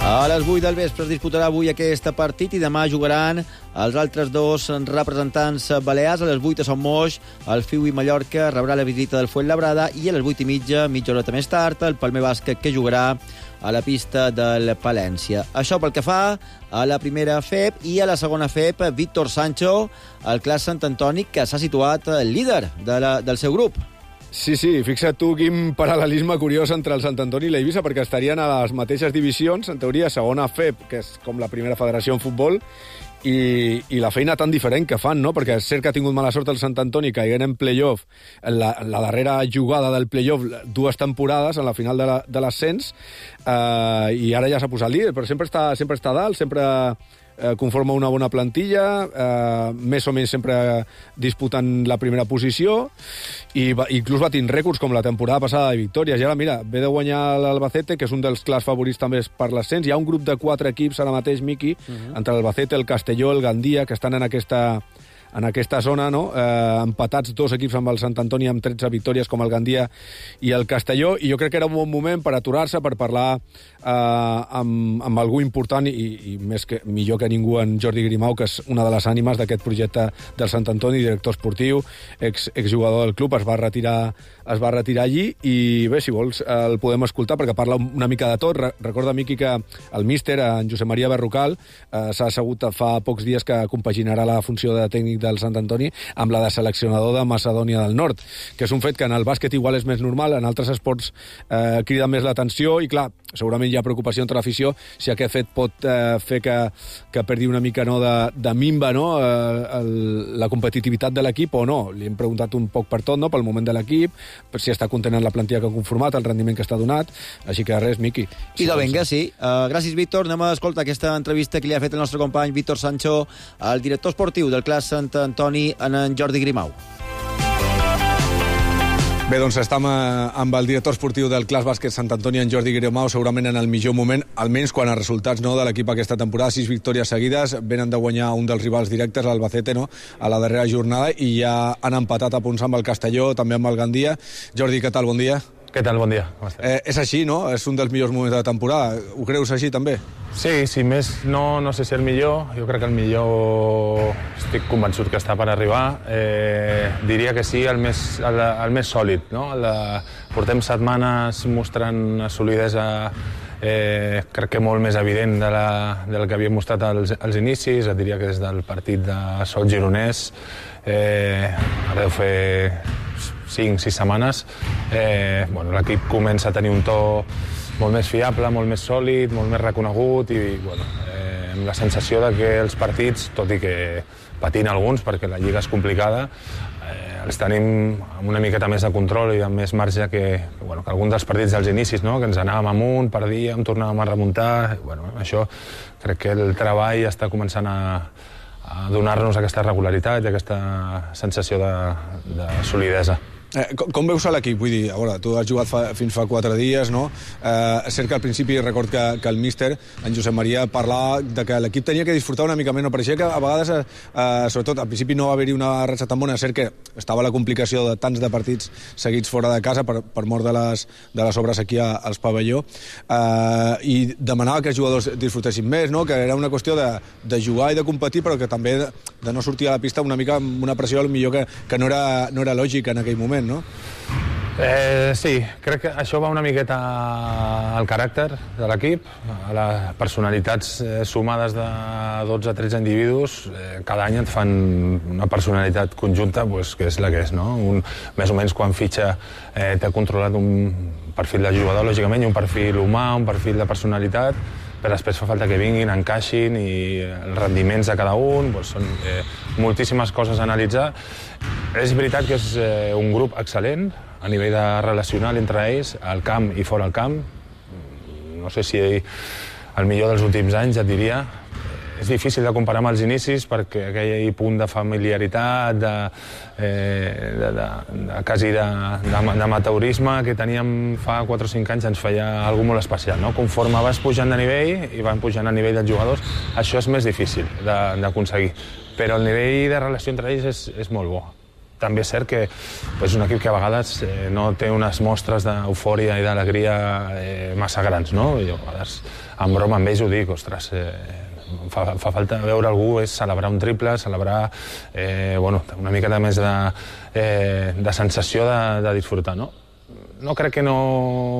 A les 8 del vespre es disputarà avui aquest partit i demà jugaran els altres dos representants balears. A les 8 a Son Moix, el Fiu i Mallorca rebrà la visita del Fuenlabrada i a les 8:30, mitja horeta més tard, el Palmer Bàsquet, que jugarà a la pista del Palència. Això pel que fa a la primera FEP, i a la segona FEP, Víctor Sancho, el Clas Sant Antoni, que s'ha situat líder del seu grup. Sí, fixa't tu quin paral·lelisme curiós entre el Sant Antoni i l'Eivissa, perquè estarien a les mateixes divisions, en teoria segona FEP, que és com la primera federació en futbol, i la feina tan diferent que fan, no? Perquè és cert que ha tingut mala sort el Sant Antoni caient en playoff, en la darrera jugada del playoff, 2 temporades, en la final de l'ascens, i ara ja s'ha posat líder, però sempre està dalt, sempre conforma una bona plantilla, més o menys sempre disputant la primera posició, i inclús batint rècords com la temporada passada de victòries. I ara, mira, ve de guanyar l'Albacete, que és un dels clars favorits també per l'ascens. Hi ha un grup de 4 equips ara mateix, Miqui, entre l'Albacete, el Castelló, el Gandia, que estan en aquesta zona, no? Empatats 2 equips amb el Sant Antoni amb 13 victòries, com el Gandia i el Castelló, i jo crec que era un bon moment per aturar-se, per parlar amb algú important i millor que ningú, en Jordi Grimau, que és una de les ànimes d'aquest projecte del Sant Antoni, director esportiu, exjugador del club. Es va retirar allí, i bé, si vols el podem escoltar perquè parla una mica de tot. Recorda, Miqui, que el míster, en Josep Maria Berrocal, s'ha assegut fa pocs dies que compaginarà la funció de tècnic del Sant Antoni amb la de seleccionador de Macedònia del Nord, que és un fet que en el bàsquet igual és més normal, en altres esports crida més l'atenció, i clar, segurament hi ha preocupació entre l'afició si aquest fet pot fer que perdi una mica de minva, no? La competitivitat de l'equip o no. Li hem preguntat un poc per tot, no? Pel moment de l'equip, per si està content en la plantilla que ha conformat, el rendiment que està donat, així que res, Miqui. I de venga, sí. Gràcies, Víctor. Anem a escoltar aquesta entrevista que li ha fet el nostre company Víctor Sancho, el director esportiu del Clas Sant Antoni, en Jordi Grimau. Bé, doncs estem amb el director esportiu del Clas Bàsquet Sant Antoni, en Jordi Grimau, segurament en el millor moment, almenys quan a resultats, no, de l'equip aquesta temporada. 6 victòries seguides, venen de guanyar un dels rivals directes, l'Albacete, no, a la darrera jornada, i ja han empatat a punts amb el Castelló, també amb el Gandia. Jordi, què tal? Bon dia. Què tal? Bon dia. Com estàs? És així, no? És un dels millors moments de la temporada. Ho creus així, també? Sí, més no sé si el millor. Jo crec que el millor estic convençut que està per arribar. Diria que sí, el més sòlid, no? Portem setmanes mostrant una solidesa crec que molt més evident del que havíem mostrat als inicis. Et diria que des del partit de Sot Gironès, ara deu fer 5-6 setmanes, l'equip comença a tenir un to molt més fiable, molt més sòlid, molt més reconegut, i amb la sensació de que els partits, tot i que patint alguns perquè la lliga és complicada, els tenim amb una miqueta més de control i amb més marge que alguns dels partits dels inicis, no? Que ens anàvem amunt, perdíem, tornàvem a remuntar. Això crec que el treball està començant a donar-nos aquesta regularitat i aquesta sensació de solidesa. Com veus a l'equip? Vull dir, tu has jugat fins fa 4 dies, no? És cert que al principi record que el míster, en Josep Maria, parlava de que l'equip tenia que disfrutar una mica més, no? Pareixia que a vegades, sobretot al principi no va haver-hi una ratxa tan bona. És cert que estava la complicació de tants de partits seguits fora de casa per mort de les obres aquí als pavelló, i demanava que els jugadors disfrutessin més, no? Que era una qüestió de jugar i de competir, però que també de no sortir a la pista una mica amb una pressió millor que no era lògica en aquell moment, no? Sí, crec que això va una miqueta al caràcter de l'equip, a les personalitats sumades de 12-13 individus. Cada any et fan una personalitat conjunta que és la que és, no? Més o menys quan fitxa t'ha controlat un perfil de jugador, lògicament, i un perfil humà, un perfil de personalitat, però després fa falta que vinguin, encaixin, i els rendiments de cada un, són moltíssimes coses a analitzar. És veritat que és un grup excel·lent a nivell de relacional entre ells, al camp i fora al camp. No sé si el millor dels últims anys, et diria. és difícil de comparar amb els inicis perquè aquell punt de familiaritat, quasi d'amateurisme que teníem fa 4 o 5 anys ens feia alguna molt especial, no? Conforme vas pujant de nivell i van pujant a nivell dels jugadors, això és més difícil d'aconseguir. Però el nivell de relació entre ells és molt bo. També és cert que és un equip que a vegades no té unes mostres d'eufòria i d'alegria massa grans, no? Jo a vegades, en broma amb ells ho dic, ostres, fa falta veure algú és celebrar un triple, celebrar una mica més de sensació de disfrutar, no? No crec que no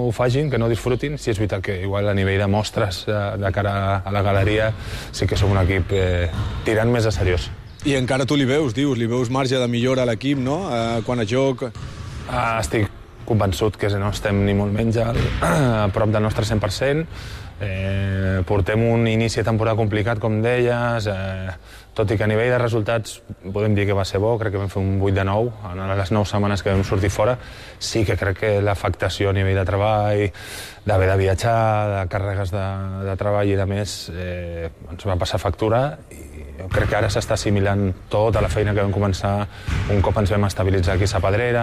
ho facin, que no disfrutin, si és veritat que igual a nivell de mostres de cara a la galeria sí que som un equip tirant més a seriós. I encara tu li veus marge de millora a l'equip, no? Quan a joc... Estic convençut que no estem ni molt menys a prop del nostre 100%. Portem un inici de temporada complicat, com deies, tot i que a nivell de resultats podem dir que va ser bo, crec que vam fer un 8 de 9 en les 9 setmanes que vam sortir fora. Sí que crec que l'afectació a nivell de treball, d'haver de viatjar, de càrregues de treball i de més, ens va passar factura i jo crec que ara s'està assimilant tota la feina que vam començar un cop ens vam estabilitzar aquí a Sa Pedrera,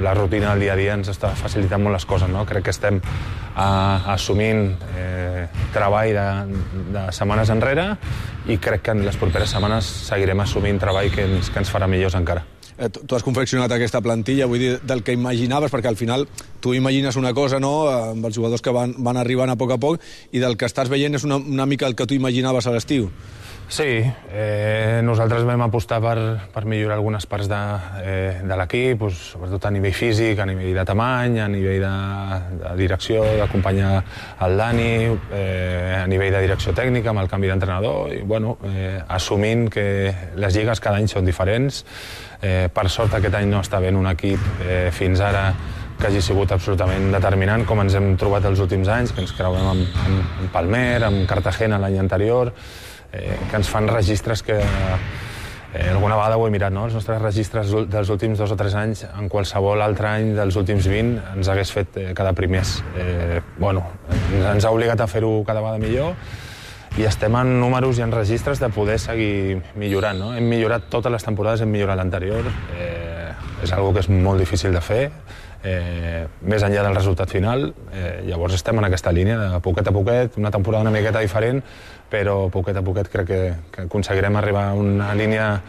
la rutina del dia a dia ens està facilitant molt les coses, no? Crec que estem assumint treball de setmanes enrere i crec que en les properes setmanes seguirem assumint treball que ens farà millors encara. Tu has confeccionat aquesta plantilla, vull dir, del que imaginaves, perquè al final tu imagines una cosa, no?, amb els jugadors que van arribant a poc, i del que estàs veient és una mica el que tu imaginaves a l'estiu. Sí, nosaltres vam apostar per millorar algunes parts de l'equip, sobretot a nivell físic, a nivell de tamany, a nivell de direcció, d'acompanyar el Dani, a nivell de direcció tècnica, amb el canvi d'entrenador, i assumint que les lligues cada any són diferents. Per sort aquest any no està havent un equip fins ara que hagi sigut absolutament determinant, com ens hem trobat els últims anys, que ens creuem amb Palmer, amb Cartagena l'any anterior, que ens fan registres que alguna vegada ho he mirat, no? Els nostres registres dels últims 2 o 3 anys en qualsevol altre any dels últims 20 ens hagués fet quedar primers. Ens ha obligat a fer-ho cada vegada millor i estem en números i en registres de poder seguir millorant, no? Hem millorat totes les temporades, hem millorat l'anterior, és una que és molt difícil de fer, més enllà del resultat final. Llavors estem en aquesta línia de poquet a poquet, una temporada una miqueta diferent, però poquet a poquet crec que aconseguirem arribar a una línia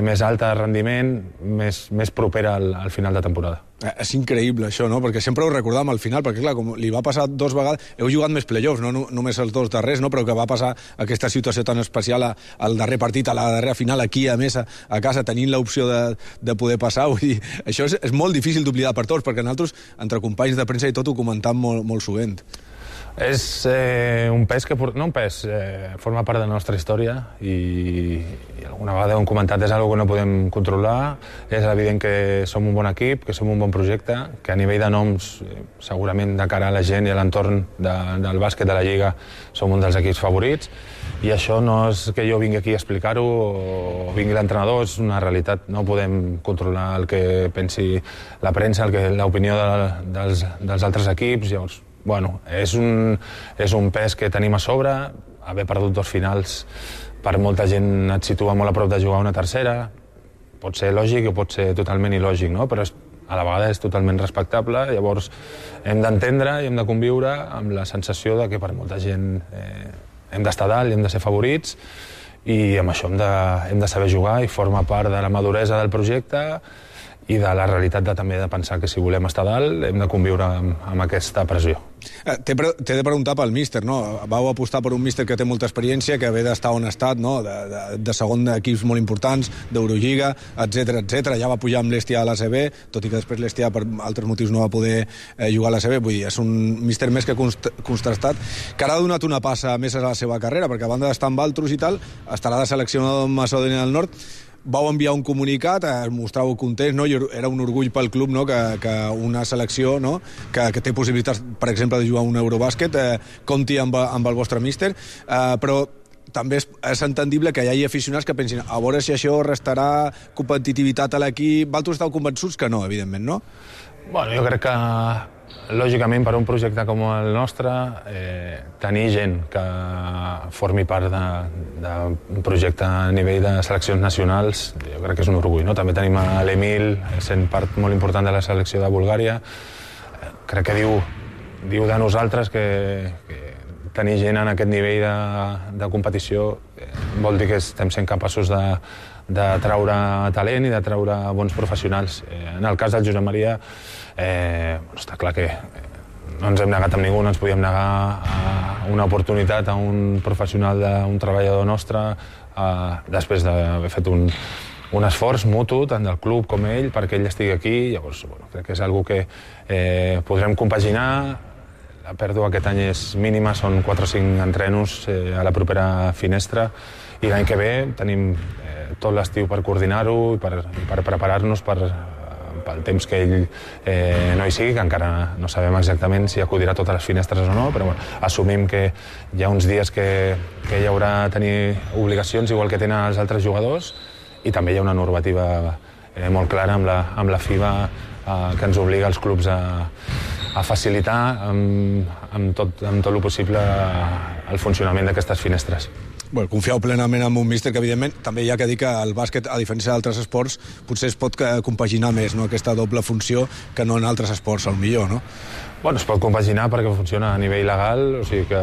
més alta de rendiment, més propera al final de temporada. És increïble això, no? Perquè sempre ho recordàvem al final, perquè clar, com li va passar 2 vegades, heu jugat més playoffs, no només els 2 darrers, no? Però que va passar aquesta situació tan especial al darrer partit, a la darrera final, aquí a més a casa, tenint l'opció de poder passar. Vull dir, això és molt difícil d'oblidar per tots, perquè nosaltres, entre companys de premsa i tot, ho comentam molt sovint. És un pes que... No un pes, forma part de la nostra història i alguna vegada ho hem comentat, és una que no podem controlar. És evident que som un bon equip, que som un bon projecte, que a nivell de noms, segurament de cara a la gent i a l'entorn del bàsquet de la Lliga, som un dels equips favorits. I això no és que jo vingui aquí a explicar-ho o vingui l'entrenador, és una realitat. No podem controlar el que pensi la premsa, l'opinió dels altres equips. Llavors, és un pes que tenim a sobre. Haver perdut 2 finals per molta gent et situa molt a prop de jugar una tercera. Pot ser lògic o pot ser totalment il·lògic, no? Però a la vegada és totalment respectable. Llavors hem d'entendre i hem de conviure amb la sensació de que per molta gent hem d'estar dalt i hem de ser favorits, i amb això hem de saber jugar i forma part de la maduresa del projecte i de la realitat també de pensar que si volem estar dalt hem de conviure amb aquesta pressió. T'he de preguntar pel míster, no? Vau apostar per un míster que té molta experiència, que ve d'estar on ha estat, no? De segon d'equips molt importants, d'Eurolliga, etc. Ja va pujar amb l'Estia a l'ACB, tot i que després l'Estia per altres motius no va poder jugar a l'ACB. Vull dir, és un míster més que contrastat, que ara ha donat una passa més a la seva carrera, perquè a banda d'estar amb altres i tal, estarà de seleccionador amb Macedònia del Nord. Vau enviar un comunicat, es mostràveu contents, no? I era un orgull pel club, no? Que una selecció, no? que té possibilitats, per exemple, de jugar un Eurobàsquet, compti amb el vostre míster, però també és entendible que hi hagi aficionats que pensin a veure si això restarà competitivitat a l'equip. Vosaltres esteu convençuts que no, evidentment, no? Jo crec que lògicament, per un projecte com el nostre, tenir gent que formi part d'un projecte a nivell de seleccions nacionals, jo crec que és un orgull, no? També tenim a l'Emil, sent part molt important de la selecció de Bulgària. Crec que diu de nosaltres que tenir gent en aquest nivell de competició vol dir que estem sent capaços de treure talent i de treure bons professionals. En el cas del Josep Maria, està clar que no ens hem negat amb ningú, no ens podíem negar a una oportunitat a un professional, un treballador nostre, després d'haver fet un esforç mutu, tant del club com ell, perquè ell estigui aquí. Llavors, crec que és una cosa que podrem compaginar. La pèrdua aquest any és mínima, són 4 o 5 entrenos a la propera finestra, i l'any que ve tenim tot l'estiu per coordinar-ho i per preparar-nos pel temps que ell no hi sigui, que encara no sabem exactament si acudirà a totes les finestres o no, però assumim que hi ha uns dies que ell haurà de tenir obligacions igual que tenen els altres jugadors, i també hi ha una normativa molt clara amb la FIBA que ens obliga als clubs a facilitar amb tot el possible el funcionament d'aquestes finestres. Confieu plenament en un míster que, evidentment, també hi ha que dir que el bàsquet, a diferència d'altres esports, potser es pot compaginar més, no?, aquesta doble funció que no en altres esports, al millor, no? Es pot compaginar perquè funciona a nivell legal, o sigui que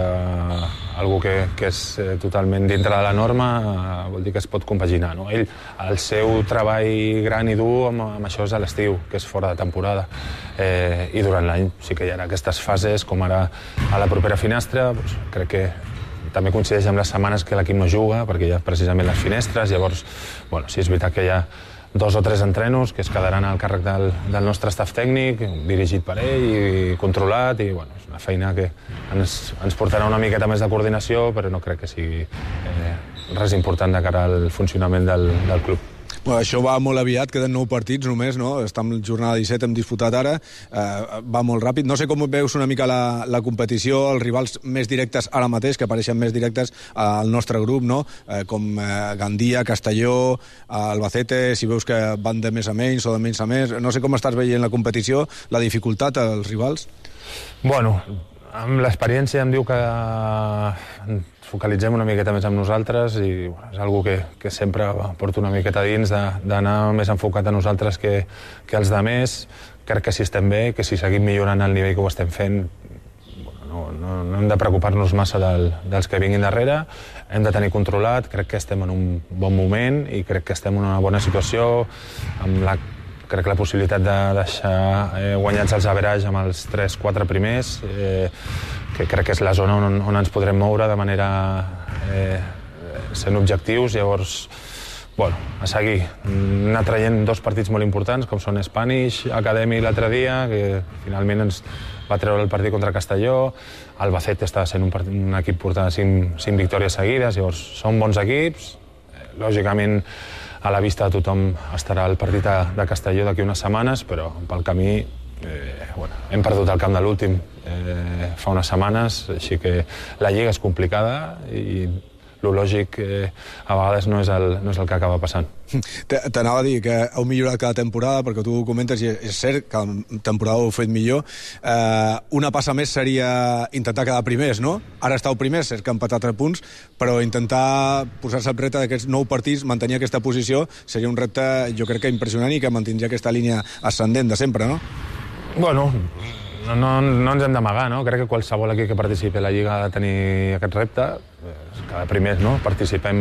algú que és totalment dintre de la norma vol dir que es pot compaginar, no? Ell, el seu treball gran i dur amb això és a l'estiu, que és fora de temporada, i durant l'any sí que hi ha aquestes fases, com ara a la propera finestra, crec que també coincideix amb les setmanes que l'equip no juga, perquè hi ha precisament les finestres. Llavors, sí, és veritat que hi ha 2 o 3 entrenos que es quedaran al càrrec del nostre staff tècnic, dirigit per ell i controlat, i és una feina que ens portarà una miqueta més de coordinació, però no crec que sigui res important de cara al funcionament del club. Això va molt aviat, queden 9 partits només, no? Estem en jornada 17, hem disputat ara, va molt ràpid. No sé com veus una mica la competició, els rivals més directes ara mateix, que apareixen més directes al nostre grup, no? Com Gandia, Castelló, Albacete, si veus que van de més a menys o de menys a més. No sé com estàs veient la competició, la dificultat als rivals. Amb l'experiència em diu que focalitzem una miqueta més amb nosaltres, i és una cosa que sempre porto una miqueta dins, d'anar més enfocat a nosaltres que els demés. Crec que si estem bé, que si seguim millorant el nivell que ho estem fent, no hem de preocupar-nos massa dels que vinguin darrere, hem de tenir controlat. Crec que estem en un bon moment i crec que estem en una bona situació, amb crec que la possibilitat de deixar guanyats els average amb els 3-4 primers, que crec que és la zona on ens podrem moure de manera sent objectius. Llavors, a seguir, anar traient 2 partits molt importants, com són Spanish Academy l'altre dia, que finalment ens va treure el partit contra Castelló. Albacete està sent un equip portant 5 victòries seguides, llavors són bons equips. Lògicament, a la vista de tothom estarà el partit de Castelló d'aquí unes setmanes, però pel camí hem perdut el camp de l'últim fa unes setmanes, així que la lliga és complicada i el lògic a vegades no és el que acaba passant. T'anava a dir que heu millorat cada temporada, perquè tu ho comentes i és cert que la temporada ho heu fet millor. Una passa més seria intentar quedar primers, no? Ara estàu primers, és que han empatat 3 punts, però intentar posar-se el repte d'aquests 9 partits, mantenir aquesta posició, seria un repte, jo crec que impressionant, i que mantindria aquesta línia ascendent de sempre, no? No ens hem d'amagar, no? Crec que qualsevol equip que participi a la Lliga ha de tenir aquest repte. Cada primers, no? Participem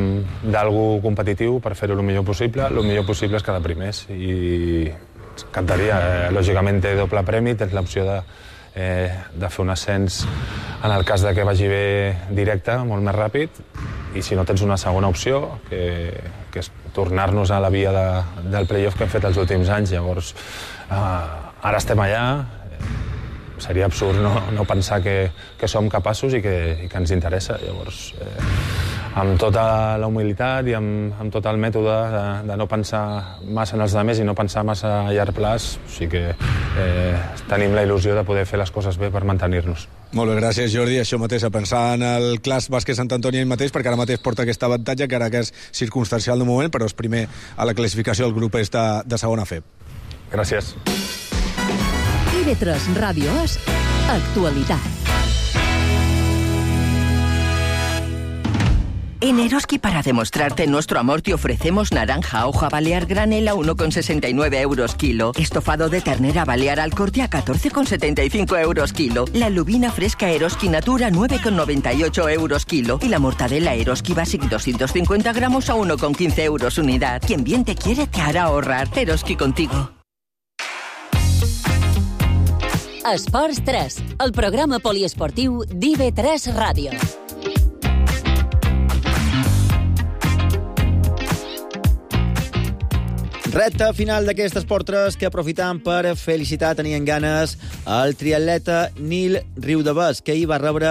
d'algú competitiu per fer-ho el millor possible. El millor possible és cada primers. I ens encantaria. Lògicament té doble premi, tens l'opció de fer un ascens en el cas de que vagi bé directe, molt més ràpid, i si no tens una segona opció, que és tornar-nos a la via del play-off que hem fet els últims anys. Llavors, ara estem allà. Seria absurd no pensar que som capaços i que ens interessa. Llavors, amb tota la humilitat i amb tot el mètode de no pensar massa en els altres i no pensar massa a llarg plaç, o sigui que tenim la il·lusió de poder fer les coses bé per mantenir-nos. Molt bé, gràcies, Jordi. Això mateix, a pensar en el Clas Bàsquet Sant Antoni ell mateix, perquè ara mateix porta aquest avantatge, que ara que és circumstancial de moment, però és primer a la classificació del grup de segona FEB. Gràcies. IB3 Ràdio és actualitat. En Eroski, para demostrarte nuestro amor, te ofrecemos naranja hoja balear granel a 1,69 euros kilo. Estofado de ternera balear al corte a 14,75 euros kilo. La lubina fresca Eroski Natura 9,98 euros kilo. Y la mortadela Eroski Basic 250 gramos a 1,15 euros unidad. Quien bien te quiere te hará ahorrar. Eroski contigo. Esports 3, el programa poliesportiu d'IB3 Ràdio. Recta final d'aquest Esport 3 que aprofitam per felicitar, tenien ganes, el triatleta Nil Riudavés, que ahir va rebre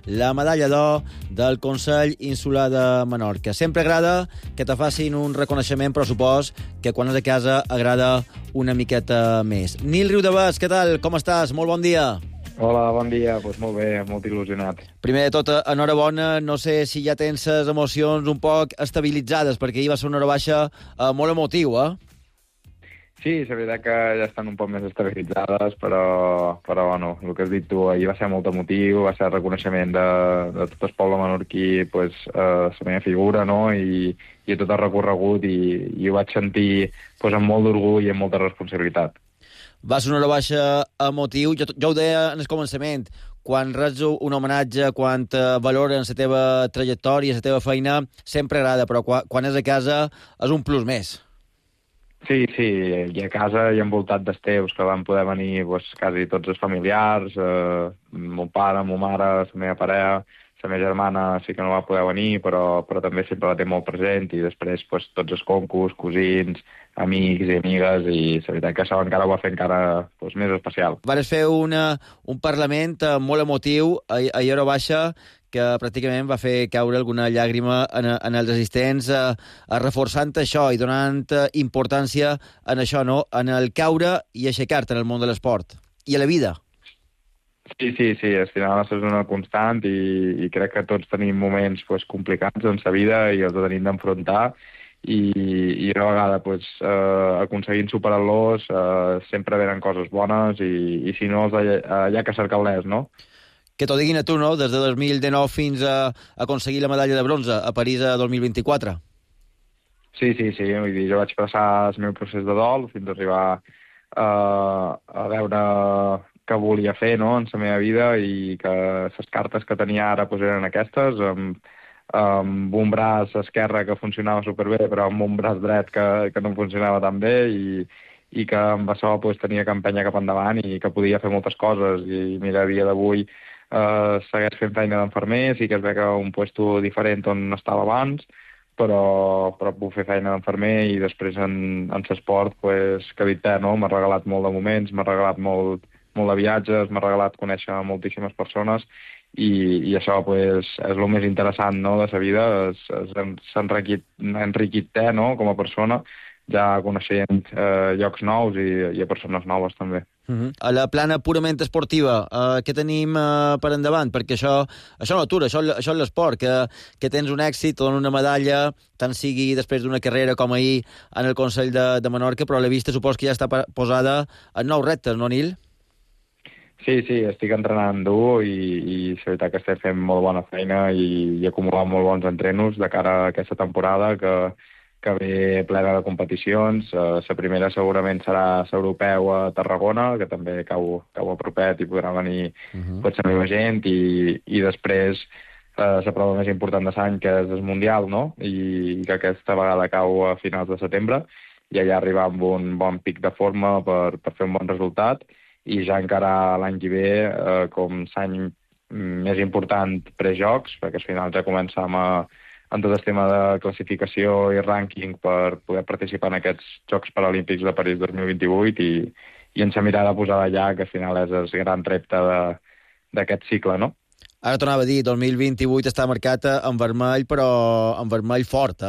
la medalla d'or del Consell Insular de Menorca. Sempre agrada que te facin un reconeixement, però supos que quan és a casa agrada una miqueta més. Nil Riudavés, què tal? Com estàs? Molt bon dia. Hola, bon dia. Pues molt bé, molt il·lusionat. Primer de tot, enhorabona. No sé si ja tens les emocions un poc estabilitzades, perquè ahir va ser una hora baixa molt emotiu, Sí, és veritat que ja estan un poc més estabilitzades, però bueno, el que has dit tu, ahir va ser molt emotiu, va ser el reconeixement de tot el poble menorquí, pues, la meva figura, no?, i tot el recorregut, i ho vaig sentir pues, amb molt d'orgull i amb molta responsabilitat. Va ser una hora baixa emotiu. Jo ho deia en el començament, quan reps un homenatge, quan valoren la teva trajectòria, la teva feina, sempre agrada, però quan és a casa és un plus més. Sí, i a casa i envoltat dels teus, que van poder venir pues, quasi tots els familiars, mon pare, ma mare, la meva parella, la meva germana sí que no va poder venir, però també sempre la té molt present, i després pues, tots els concos, cosins, amics i amigues, i la veritat que això encara ho va fer encara pues, més especial. Vares fer un Parlament molt emotiu a hora baixa, que pràcticament va fer caure alguna llàgrima en els assistents, reforçant això i donant importància en això, no? En el caure i aixecar-te en el món de l'esport i a la vida. Sí, al final és una constant, i crec que tots tenim moments pues, complicats en la vida i els tenim d'enfrontar, i una vegada pues, aconseguint superar-los sempre venen coses bones, i si no hi ha que cercar-les, no? Que t'ho diguin a tu, no?, des de 2019 fins a aconseguir la medalla de bronze a París a 2024. Sí, vull dir, jo vaig passar el meu procés de dol fins a arribar a veure què volia fer, no?, en la meva vida, i que les cartes que tenia ara pues, eren aquestes, amb un braç esquerre que funcionava superbé, però amb un braç dret que no funcionava tan bé, i que amb això pues, tenia que empènyer cap endavant i que podia fer moltes coses. I mira, a dia d'avui segueix fent feina d'enfermer, sí que es ve que un puesto diferent on estava abans, però puc fer feina d'enfermer, i després en l'esport, pues, que dit no? M'ha regalat molt de moments, m'ha regalat molt de viatges, m'ha regalat conèixer moltíssimes persones, i això pues, és el més interessant, no?, de la vida. S'ha enriquit no?, com a persona, ja coneixent llocs nous i persones noves també. A la plana purament esportiva, què tenim per endavant? Perquè això no atura, això és l'esport, que tens un èxit, te donen una medalla, tant sigui després d'una carrera com ahir en el Consell de Menorca, però a la vista supos que ja està posada en nous reptes, no, Nil? Sí, estic entrenant dur, i la veritat que estic fent molt bona feina i acumulant molt bons entrenos de cara a aquesta temporada que ve plena de competicions. La primera segurament serà l'europeu a Tarragona, que també cau a propet i podrà venir la meva gent, i després la prova més important de l'any, que és el Mundial, no?, i que aquesta vegada cau a finals de setembre, i allà arribar amb un bon pic de forma per fer un bon resultat, i ja encara l'any que ve com l'any més important prejocs, perquè al final ja començam en tot el tema de classificació i rànquing per poder participar en aquests Jocs Paralímpics de París 2028, i en la mirada posada allà, que al final és el gran repte d'aquest cicle, no? Ara tornava a dir, 2028 està marcat en vermell, però en vermell fort,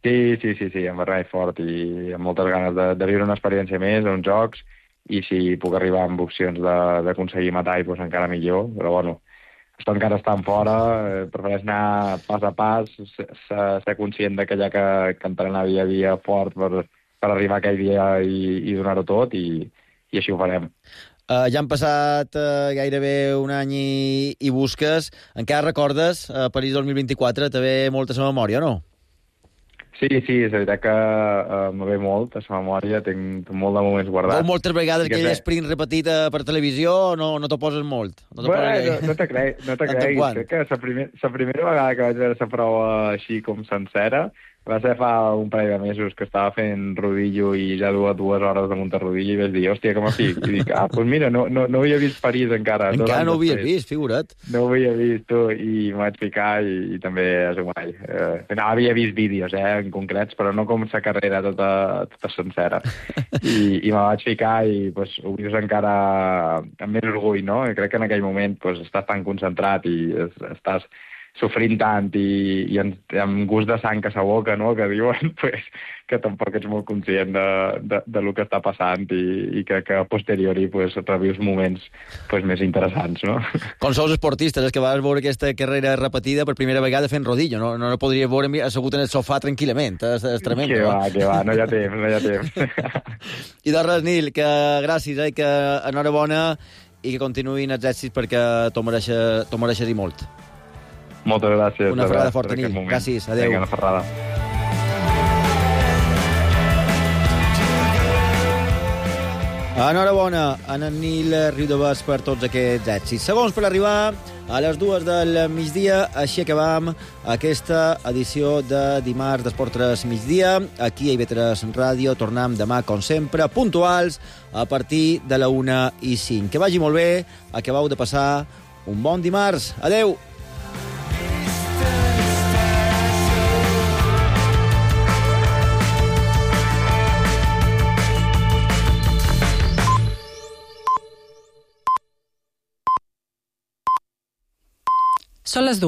Sí, en vermell fort, i amb moltes ganes de viure una experiència més, uns Jocs, i si puc arribar amb opcions d'aconseguir metall, doncs encara millor, però bueno, això encara estan fora, prefereix anar pas a pas, ser conscient que hi ha que entrenar dia a dia fort per arribar aquell dia i donar-ho tot, i així ho farem. Ja han passat gairebé un any i busques. Encara recordes París 2024? Te ve molta a la memòria, no? Sí, és veritat que me ve molt a la memòria, tinc molt de moments guardats. Veus moltes vegades aquell sprint repetit per televisió o no t'ho poses molt? No te creguis. Crec que la primera vegada que vaig veure la prova així com sencera va ser fa un parell de mesos que estava fent rodillo i ja duia 2 hores de muntar rodillo i vaig dir, hòstia, que m'afic. I dic, doncs mira, no havia vist París encara. Encara no ho havia vist, figura't. No ho havia vist, tu, i m'ho vaig ficar i també és un guai. No, havia vist vídeos, en concrets, però no com la carrera tota sencera. I me vaig ficar i ho vius encara amb més orgull, no? I crec que en aquell moment estàs tan concentrat i estàs sofrint tant i amb gust de sang a sa boca, no?, que diuen, que tampoc ets molt conscient de lo que està passant i que a posteriori revius moments més interessants, no? Com sous esportistes, és que vas veure aquesta carrera repetida per primera vegada fent rodillo, no podries veure assegut en el sofà tranquil·lament, és tremendo. Que va, no hi ha temps. I doncs res, Nil, que gràcies, que enhorabona i que continuïn els èxits perquè t'ho mereixes i molt. Moltes gràcies. Una ferrada forta, Nil. Gràcies, adeu. Vinga, una ferrada. Enhorabona a en Nil Riudovas per tots aquests èxits. Segons per arribar a les 2 del migdia, així acabam aquesta edició de dimarts d'Esport 3 migdia. Aquí a IB3 Ràdio tornem demà, com sempre, puntuals, a partir de la 1:05. Que vagi molt bé, acabeu de passar un bon dimarts. Adeu! Són les 2.